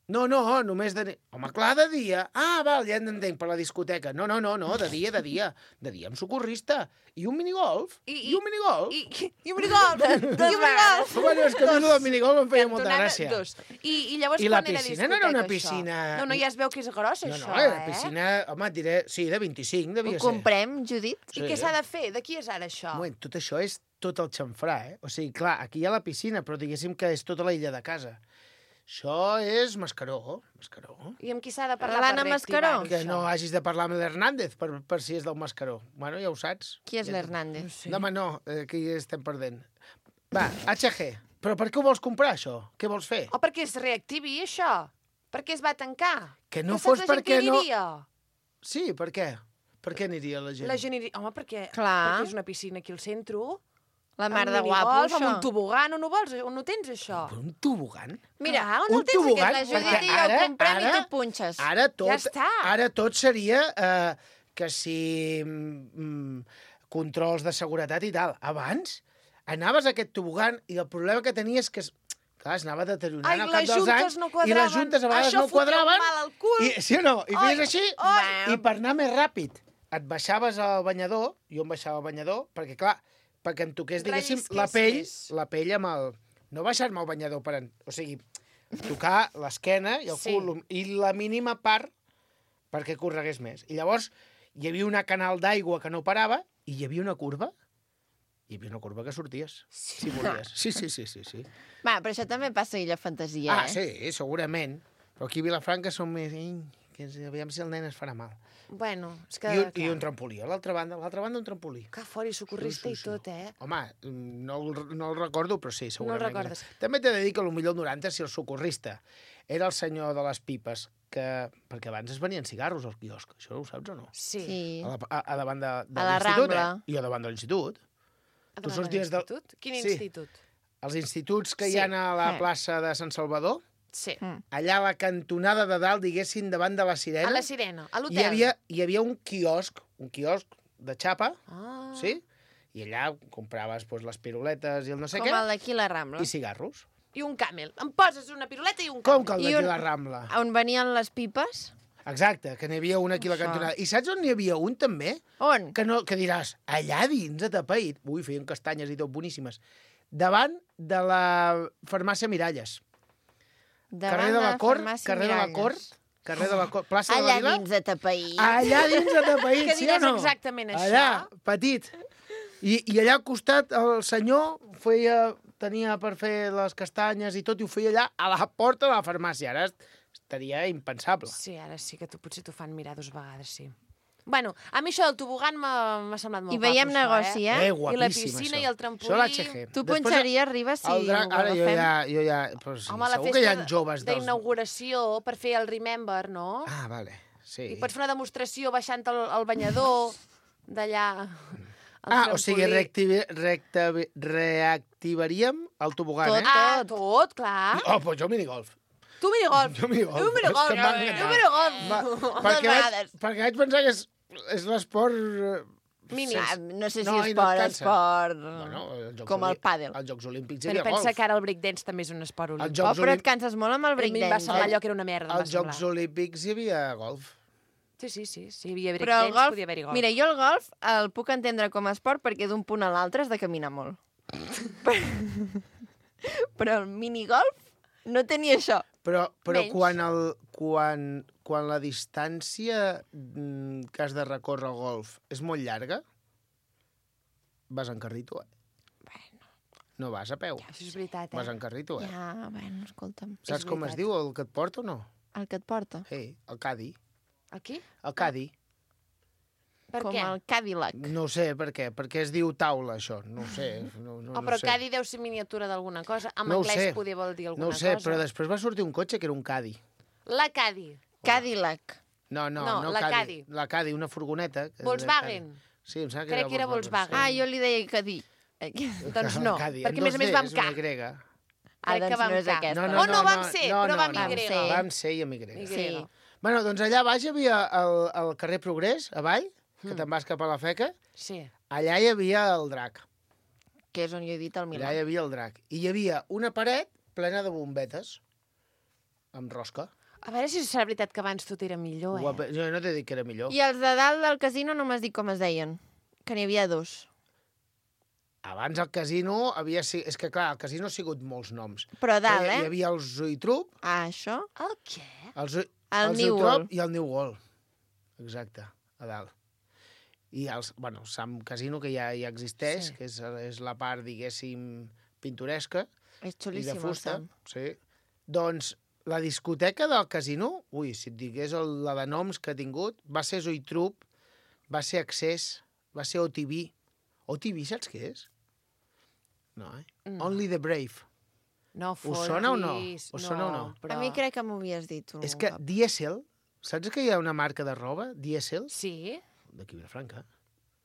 No, només de... Home, clar, de dia. Ah, val, ja entenc, per la discoteca. No, de dia. De dia amb socorrista. I un minigolf. I un minigolf. I un minigolf. I un minigolf. Bueno, és que a mi el del minigolf em feia molta Cantonada, gràcia. dos. I llavors I la quan era piscina no era una discoteca, piscina- això? No, ja es veu que és gros, No, això, era piscina, home, et diré, sí, de 25 Ho devia ser. comprem, Judit? I què s'ha de fer? De qui és ara això? Un moment, tot això és tot el xamfrà, eh? O sigui, clar, aquí hi ha la piscina, però diguéssim que és tota la illa de casa. Això és Mascaró. I amb qui s'ha de parlar L'Anna per reactivar Mascaró? Que no hagis de parlar amb l'Hernández per si és del Mascaró. Bueno, ja ho saps. Qui és l'Hernández? Sí. No, home, no, aquí estem perdent. Va, HG, però per què ho vols comprar, això? Què vols fer? O perquè es reactivi, això? Per què es va tancar? Que no saps fos la gent perquè que hi no- aniria? Sí, per què? Per què aniria la gent? La gent iria... Home, perquè Clar. és una piscina aquí al centre. La mar amb de guapo, minigolf, això. Amb un tobogan, on ho vols? On ho tens, això? Per un tobogan? Mira, Clar, on un el tens, tobogan, aquest? La Judit perquè i jo ara- el comprem i ara- tu punxes. Ara tot seria que si controls de seguretat i tal. Abans anaves a aquest tobogan i el problema que tenies que clar, es anava deteriorant Ai, al cap les dels juntes anys no i quadraven. les juntes a vegades Això no fotia quadraven. mal al cul. I, sí o no? I Ai, feies així ai. i per anar més ràpid et baixaves al banyador, jo em baixava al banyador, perquè clar, perquè em toqués, diguéssim, la pell Rellisquessis. amb no baixar-me al banyador per... O sigui, tocar l'esquena i el cul i la mínima part perquè corregués més. I llavors hi havia una canal d'aigua que no parava i hi havia una curva. Hi havia una curva que sorties, si volies. Sí. Va, però això també passa a Illa Fantasia, Ah, sí, segurament. Però aquí a Vilafranca som més... que aviam si el nen es farà mal. Bueno, és que... I un trampolí. A l'altra banda un trampolí. Que fora i socorrista i tot, eh? Home, no el recordo, però sí, segurament. No el recordes. També t'he de dir que potser el 90, si el socorrista era el senyor de les pipes, perquè abans es venien cigarros al quiosc, això ho saps o no? Sí. A davant de la l'institut, Rambla. I a davant de l'institut. Tu sorties del... Institut? Quin Sí. institut? Els instituts que hi Sí. ha a la plaça de Sant Salvador, Sí. allà a la cantonada de dalt, diguéssim, davant de la Sirena, A la Sirena, a hi l'hotel. havia un quiosc de xapa, Ah. sí? I allà compraves doncs, les piruletes i el no sé Com què, el d'aquí la Rambla. i cigarros. I un camel. Em poses una piruleta i un Com camel. que el I d'aquí un- la Rambla? On venien les pipes? Exacte, que n'hi havia un aquí a la Això. cantonada. I saps on n'hi havia un, també? On? Que diràs, allà dins, atapeït. Ui, feien castanyes i tot, boníssimes. Davant de la farmàcia Miralles. Carrer de la Cort, carrer de la Cort, carrer de la Cort, plaça de la Allà Vila. dins de Tapaí. Allà dins de Tapaït, Que sí o diràs no? exactament això? Allà, petit. I allà al costat el senyor tenia per fer les castanyes i tot, i ho feia allà a la porta de la farmàcia. Ara estaria impensable. Sí, ara sí que potser t'ho fan mirar 2 vegades, sí. Bueno, a mi això del tobogan m'ha semblat molt I veiem guapo, negoci, això, eh? I la guapíssim, piscina això. i el trampolí. Això l'HG. Tu Després, punxaries, Riba, si el drac, ho ara agafem? jo ja... Però sí, Home, la segur que hi ha festa joves dels... d'inauguració per fer el Remember, no? Ah, vale, sí. I pots fer una demostració baixant el banyador d'allà. O sigui, reactivaríem el tobogan, Tot, eh? Tot, clar. Oh, doncs jo minigolf. Tu minigolf. Jo minigolf. Tu minigolf. És que m'ha encantat. Tu minigolf. Perquè vaig pensar que és l'esport... Minis. Ah, no sé si No, i no et cansa. esport... Bueno, els Jocs com el Olí- pàdel. Els Jocs Olímpics hi Però havia pensa golf. que ara el breakdance també és un esport Els olímpic. Oh, Jocs però et Olímpics... canses molt amb el A mi em va breakdance. semblar allò que era una merda. em va Als Jocs semblar. Olímpics hi havia golf. Sí, hi havia Però el breakdance, golf... podia haver-hi golf. Mira, jo el golf el puc entendre com a esport perquè d'un punt a l'altre has de caminar molt. Però el minigolf no tenia això. Però Menys. quan la distància que has de recórrer al golf és molt llarga, vas en carrito, eh? Bueno, No vas a peu, això és veritat, vas eh? en carrito, eh? Ja, bueno, escolta'm. Saps com es veritat. diu el que et porta o no? El que et porta. Sí, el cadi. Aquí? El cadi. Per Com què? el Cadillac. No ho sé per què. Per què es diu taula, això? No ho sé. No Però sé. Cadi deu ser miniatura d'alguna cosa. En No ho anglès sé. podia vol dir alguna No ho sé, cosa. però després va sortir un cotxe que era un cadi. La Cadi. Cadillac. No, No, la Caddy. La Caddy, una furgoneta. que es deia Volkswagen. Caddy. Sí, em sembla que Crec que era Volkswagen. Ah, jo li deia Cadí. Doncs no, Caddy. perquè a més a més va amb És K. una grega. Ah, doncs que va no amb és K. aquesta. No vam ser, però va amb Vam Y. ser. Vam ser i amb Y. Y. Sí. Bueno, doncs allà baix hi havia el carrer Progrés, avall, que te'n vas cap a la Feca. Sí. Allà hi havia el drac. Que és on jo he dit el Allà Milà. hi havia el drac. I hi havia una paret plena de bombetes, amb rosca. A veure si serà veritat que abans tot era millor, Guapa. Jo no t'he dit que era millor. I els de dalt del casino no m'has dit com es deien. Que n'hi havia dos. Abans el casino havia... És que, clar, el casino ha sigut molts noms. Però a dalt, Hi eh? havia el Zoitrup, Ah, això? El què? El New World. i el New World. Exacte, a dalt. I els, bueno, Sam Casino, que ja existeix, Sí. que és la part, diguéssim, pintoresca És i de xulíssim, el fusta. Sam. Sí. Doncs la discoteca del casino, ui, si et digués la de noms que ha tingut, va ser Zoitrup, va ser Access, va ser OTV. OTV saps què és? No, eh? No. Only the Brave. No fotis. sona o no? Us sona o no? Però... A mi crec que m'ho havies dit tu. És que Diesel, saps que hi ha una marca de roba? Diesel? Sí? D'aquí Vilafranca.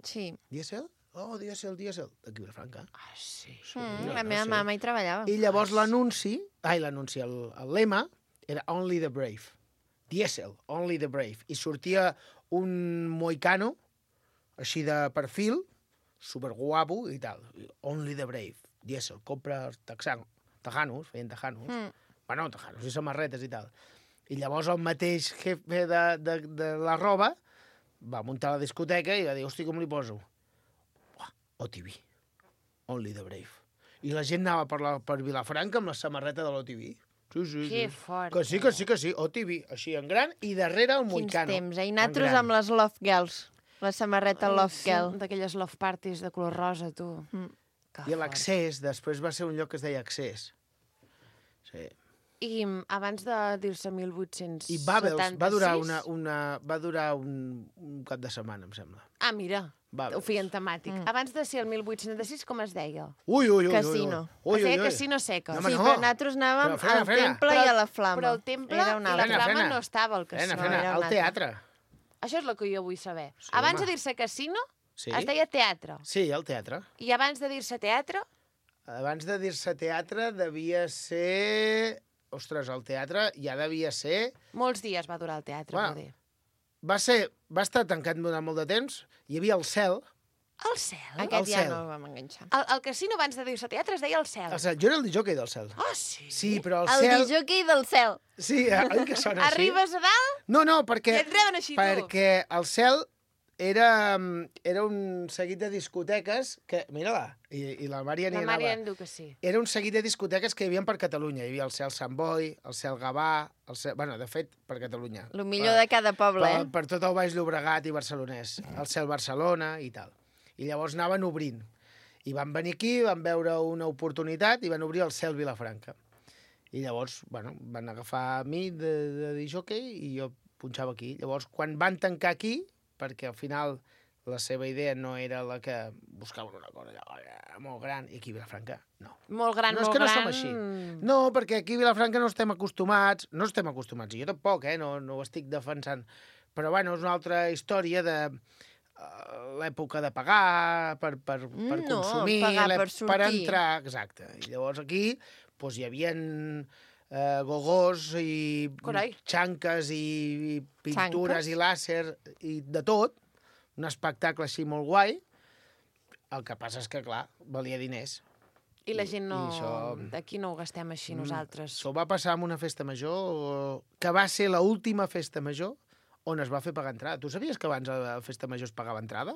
Sí. Diesel? Oh, Diesel. D'aquí Vilafranca. Ah, sí. La meva mama hi treballava. I llavors l'anunci, el lema era Only the Brave. Diesel, Only the Brave. I sortia un moicano, així de perfil, superguapo i tal. Only the Brave. Diesel, compra tejanos, feien tejanos. Bueno, tejanos i samarretes i tal. I llavors el mateix jefe de la roba va muntar la discoteca i va dir, hosti, com li poso? OTV. Only the Brave. I la gent anava per Vilafranca amb la samarreta de l'OTV. Sí. Que fort. Que sí. OTV, així en gran, i darrere el Quins Moicano. temps, eh? I nosaltres amb les Love Girls. La samarreta Love Girl. D'aquelles love parties de color rosa, tu. Que I fort. l'Accés, després va ser un lloc que es deia Accés. Sí. I abans de dir-se 1876... I Babels va durar un cap de setmana, em sembla. Ah, mira, Babels. ho feien temàtic. Abans de ser el 1876, com es deia? Ui. Casino. Es deia Casino Seca. No, Sí, no. però nosaltres anàvem Però al Temple i a la Flama. Però el temple Era una i la altra. flama no estava al casino. era Frena, un al altre. teatre. Això és el que jo vull saber. Sí, Abans home. de dir-se casino, Sí. es deia teatre. Sí, al teatre. I abans de dir-se teatre, Abans de dir-se teatre devia ser... Ostres, el teatre ja devia ser... molts dies va durar el teatre, Bueno, vol dir. Va estar tancat durant molt de temps. Hi havia el cel. El cel? Aquest ja cel. no el vam enganxar. El casino abans de dir-se teatre es deia el cel. Jo era el disjockey del cel. Oh, sí? Sí, però el El cel... disjockey del cel. Sí, oi que sona així? Arribes a dalt No, perquè... i et reben així, tu. Perquè el cel era un seguit de discoteques que... Mira-la, i la Mària n'hi La anava. Mària em diu que sí. Era un seguit de discoteques que hi havia per Catalunya. Hi havia el Cel Sant Boi, el Cel Gavà, el Cel... Bueno, de fet, per Catalunya. El millor de cada poble, eh? Per tot el Baix Llobregat i Barcelonès. El Cel Barcelona i tal. I llavors anaven obrint. I van venir aquí, van veure una oportunitat i van obrir el Cel Vilafranca. I llavors, bueno, van agafar a mi de disjockey i jo punxava aquí. Llavors, quan van tancar aquí, perquè al final la seva idea no era la que buscaven una cosa allò, molt gran, i aquí a Vilafranca no. Molt gran, No, és molt que no gran. som així. No, perquè aquí a Vilafranca no estem acostumats, i jo tampoc, no ho estic defensant, però bueno, és una altra història de l'època de pagar per consumir, pagar per per sortir. entrar, exacte. I llavors aquí doncs, hi havia gogós i Carai. xanques i pintures Xanques? i làser i de tot, un espectacle així molt guai. El que passa és que, clar, valia diners. I la gent no... I això- Aquí no ho gastem així nosaltres. Això va passar amb una festa major, que va ser l'última festa major on es va fer pagar entrada. Tu sabies que abans a la festa major es pagava entrada?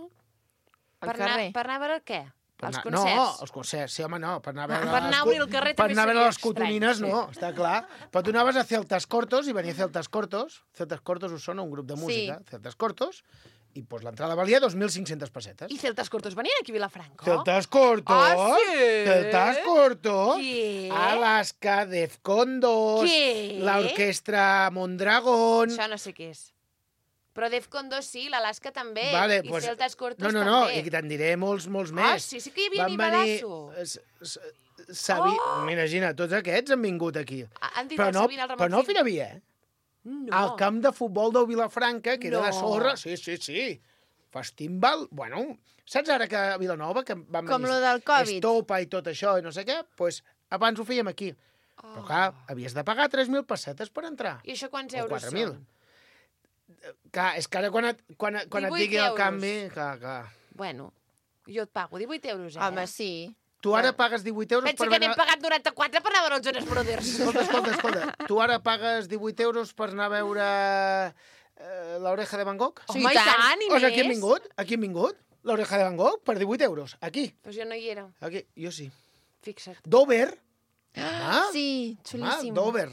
Al carrer. Per anar a veure què? Per Els anar- concerts? No, els concerts, sí, home, no. Per anar a veure, Per anar a obrir el carrer per també anar a veure seria les cotonines, estrany, no, està clar. Però tu anaves a Celtas Cortos i venia Celtas Cortos. Celtas Cortos us sona un grup de música. Sí. Celtas Cortos. I doncs l'entrada valia 2.500 pessetes. I Celtas Cortos venien aquí a Vilafranca? Celtas Cortos. Ah, sí? Celtas Cortos. Què? Alaska, Defcon 2. Què? L'orquestra Mondragón. Això no sé què és. Però Defcon 2 sí, l'Alaska també. Vale, I pues, Celtas Cortos no, també. i te'n diré molts més. Ah, sí que hi havia nivelasso. Imagina, tots aquests han vingut aquí. Han dit Però el no, Sabina, el Ramon però no a Gil. Firavier, No. al camp de futbol del Vilafranca, que era de No. sorra. Sí. Festival, bueno, saps ara que a Vilanova, que van Com venir lo del Covid. Estopa i tot això, i no sé què, doncs abans ho fèiem aquí. Però clar, havies de pagar 3.000 pessetes per entrar. I això quants O euros 4.000. són? Clar, és que ara quan et 18 digui el euros. canvi... Clar. Bueno, jo et pago 18 euros, eh? Home, sí. Tu ara pagues 18 euros Pensa per que n'hem pagat 94 per anar a veure els Jonas Brothers. Escolta. Tu ara pagues 18 euros per anar a veure l'Oreja de Van Gogh? Home, i tant, i O sigui, més. aquí hem vingut, l'Oreja de Van Gogh, per 18 euros. Aquí. Doncs jo no hi era, Aquí. Jo sí. fixa't. Dover. Home, Sí, xulíssim. Dover.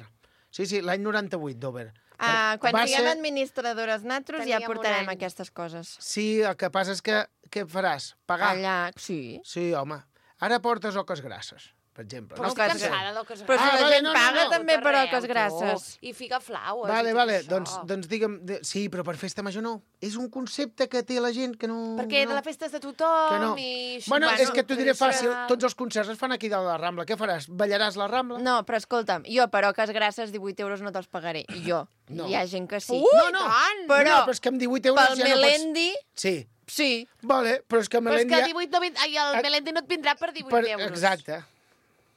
Sí, l'any 98, Dover. Quan Va siguem ser- administradores natros ja Teníem un portarem any. aquestes coses. Sí, el que passa és que què faràs? Pagar? Allà, sí. Sí, home. Ara portes oques grasses, per exemple. Però no? estic cansada d'oques Però si Ah, la vale, gent no, paga no. també per Arreu, oques tu. grasses. I figa flaues. Vale, i tot vale, això. doncs digue'm... Sí, però per festa major no. És un concepte que té la gent que no... Perquè no. de la festa és de tothom Que no. i... Bueno, és que t'ho diré fàcil. tradicional. Tots els concerts es fan aquí de la Rambla. Què faràs? Ballaràs la Rambla? No, però escolta'm, jo per oques grasses 18 euros no te'ls pagaré. Jo. No. Hi ha gent que sí. Ui, no. tant! Però No, però és que amb 18 euros pel ja no pots... Melendi, Sí. sí. Vale, però és que Però és Melendi... que 18 no vindrà... Ai, el Melendi no et vindrà per 18 euros. Exacte.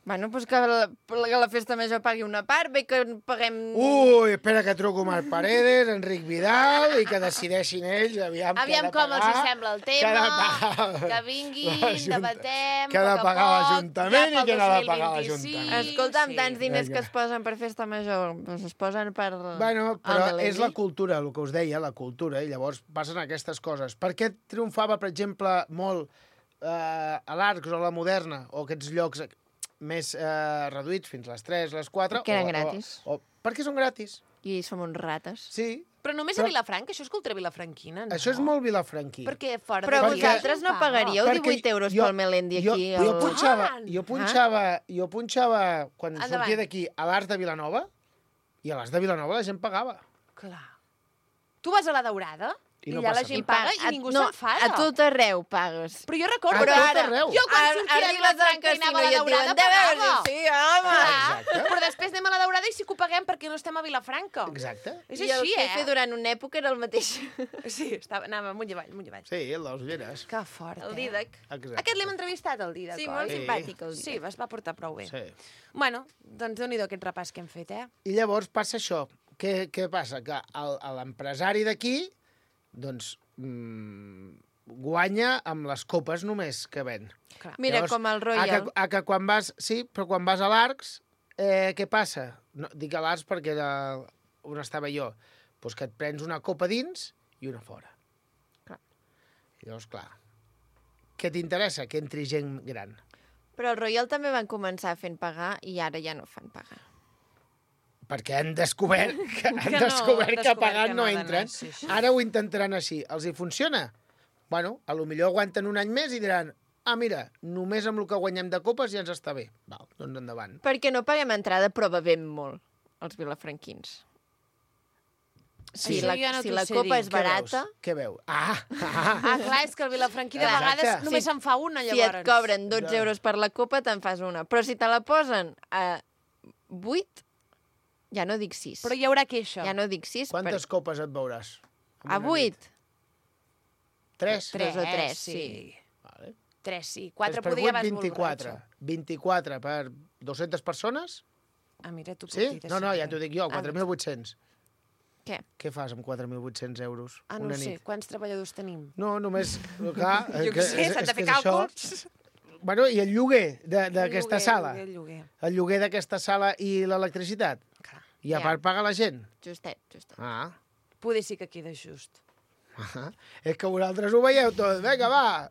Bueno, doncs que la festa major pagui una part, bé que paguem... Ui, espera que truco Marc Paredes, Enric Vidal, i que decideixin ells, aviam què ha Aviam de com els hi pagar. sembla el Què ha de tema, pagar que vinguin, l'Ajuntament. debatem, Què ha de a poc a pagar poc, l'Ajuntament ja i què pel n'ha de pagar 2025. l'Ajuntament. Escolta'm, Sí. tants diners Vinga. que es posen per festa major, doncs es posen per... Bueno, el però Melendi. és la cultura, el que us deia, la cultura, i llavors passen aquestes coses. Per què triomfava, per exemple, molt a l'Arcs o a la Moderna, o aquests llocs més reduïts fins a les 3, les 4... Que eren gratis. Perquè són gratis, I som uns rates. sí. Però només a Vilafranca? Això és cultura vilafranquina, no? Això és molt vilafranquí. Perquè fora Però d'aquí vosaltres no la gent paga. pagaríeu 18 euros pel Melendi aquí? Jo punxava quan Endavant. sortia d'aquí a l'Arts de Vilanova, i a l'Arts de Vilanova la gent pagava. Clar. Tu vas a la Daurada I i no allà la passa gent res. paga i ningú s'enfada. A tot arreu pagues. Però jo recordo... A Però tot ara, arreu. jo quan Ara sortia de arribes al Vilafranca i anava a la casino i et Daurada diuen, de veure, pagava. sí, home. Clar, però després anem a la Daurada i sí que ho paguem perquè no estem a Vilafranca. Exacte. És I el així, jefe durant una època era el mateix. Sí, anava amunt i avall, amunt i avall. Sí, el dels Ulleres. Que fort, El Didac. Exacte. Aquest l'hem entrevistat, el Didac, Sí, oi? molt Sí. simpàtic, el Sí, Didac. es va portar prou bé. Sí. Bueno, doncs déu-n'hi-do aquest repàs que hem fet, eh? I llavors passa això. Què passa? Que l'empresari d'aquí, doncs, guanya amb les copes només que ven. Clar. Mira, com el Royal. Que quan vas... Sí, però quan vas a l'Arcs, què passa? No, dic a l'Arcs perquè era on estava jo. Doncs que et prens una copa dins i una fora. Clar. I llavors, clar, què t'interessa? Que entri gent gran. Però el Royal també van començar fent pagar i ara ja no fan pagar. Perquè han descobert que, Que no, pagant que no no ha d'anar, entren. sí, sí. Ara ho intentaran així. Els hi funciona? Bueno, a lo millor aguanten un any més i diran mira, només amb el que guanyem de copes ja ens està bé. Val, doncs endavant. Perquè no paguem entrada, però bevem molt, els vilafranquins. Si Això la, ja no si t'ho la sé copa dir. és barata, Què veu? Ah, clar, és que el vilafranquí de Exacte. vegades només se'n fa una, si llavors. et cobren 12 euros per la copa, te'n fas una. Però si te la posen a 8, ja no dic 6. Però hi haurà queixa. Ja no dic 6. Quantes copes et veuràs? En A una nit? 8? 3? 3 o 3, sí. sí. Vale. 3, sí. 4 per podria 8, vas 24. borratxo. 24 per 200 persones? Ah, mira, tu Sí? pot dir No, ja t'ho dic jo, Ah, 4.800. Què? Què fas amb 4.800 euros Ah, no una ho sé. nit? Quants treballadors tenim? No, només... Clar, Jo què sé, s'han de fer càlculs. Bueno, i el lloguer d'aquesta sala? El lloguer. El lloguer d'aquesta sala i l'electricitat? Clar. I a part paga la gent? Justet, justet. Ah. Poder sí que queda just. És que vosaltres ho veieu tot. Vinga, va!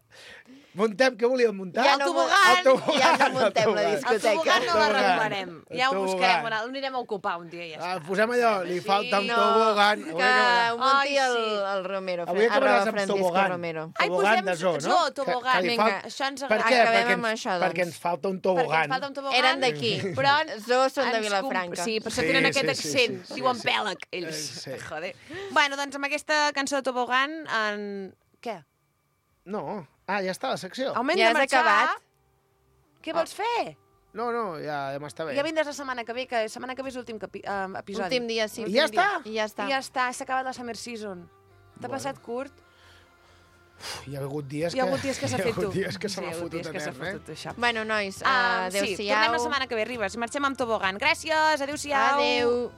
Muntem, què volíem muntar? Ja El no, tobogan! ja no muntem la El discoteca. tobogan no l'arreglarem. El Ja ho tobogan. buscarem, el anirem a ocupar un dia i ja està. Posem allò, li falta un No, tobogan. que ho munti Ai, sí. el Romero. Avui acabaràs arroba amb Francisco tobogan. Romero. Ai, Tobogan posem de zoo, no? zoo, tobogan. li Vinga, Això ens Per agrada. què? Acabem Perquè amb això, perquè doncs. ens falta un Perquè tobogan. ens falta un tobogan. Eren d'aquí. Però Zoo són de ens Vilafranca. Sí, per això Sí, tenen sí, aquest sí, accent. sí, sí, Diuen sí. pèlag, ells. Sí. Joder. Bueno, doncs amb aquesta cançó de tobogan, què? No. Ja està la secció. Home, hem Ja de has marxar. acabat? Què vols fer? No, ja m'està bé. Ja vindràs la setmana que ve, que la setmana que ve és l'últim episodi. Últim dia, sí. I ja està? I ja està. I ja està, s'ha acabat la Summer Season. T'ha passat curt? Hi ha hagut dies Hi ha hagut dies que s'ha fet tu. Hi ha hagut dies que se m'ha Sí, hi ha hagut fotut dies que s'ha eterna, fotut, això. Bueno, nois, Sí, adéu-siau. tornem la setmana que ve, Ribes. Marxem amb tobogan. Gràcies, adéu-siau. Adéu.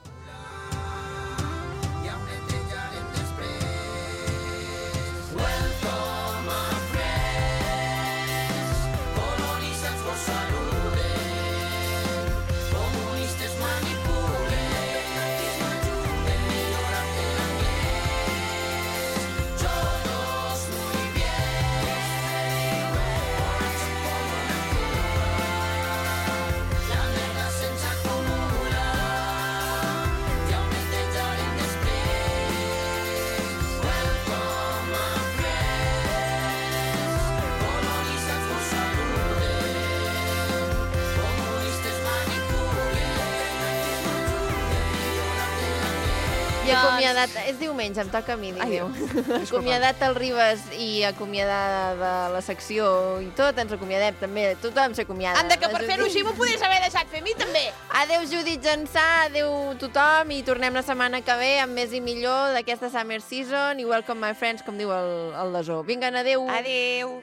I acomiadat... És diumenge, em toca a mi, Ai, diu. Acomiadat el Ribes i acomiadada la secció i tot, ens acomiadem també. Tothom s'acomiada. Anda, que per La fer-ho Judit. així m'ho podies haver deixat fer a mi, també. Adéu, Judit Jansà, adéu tothom, i tornem la setmana que ve amb més i millor d'aquesta Summer Season, i welcome my friends, com diu el Desó. Vinga, adéu. Adéu.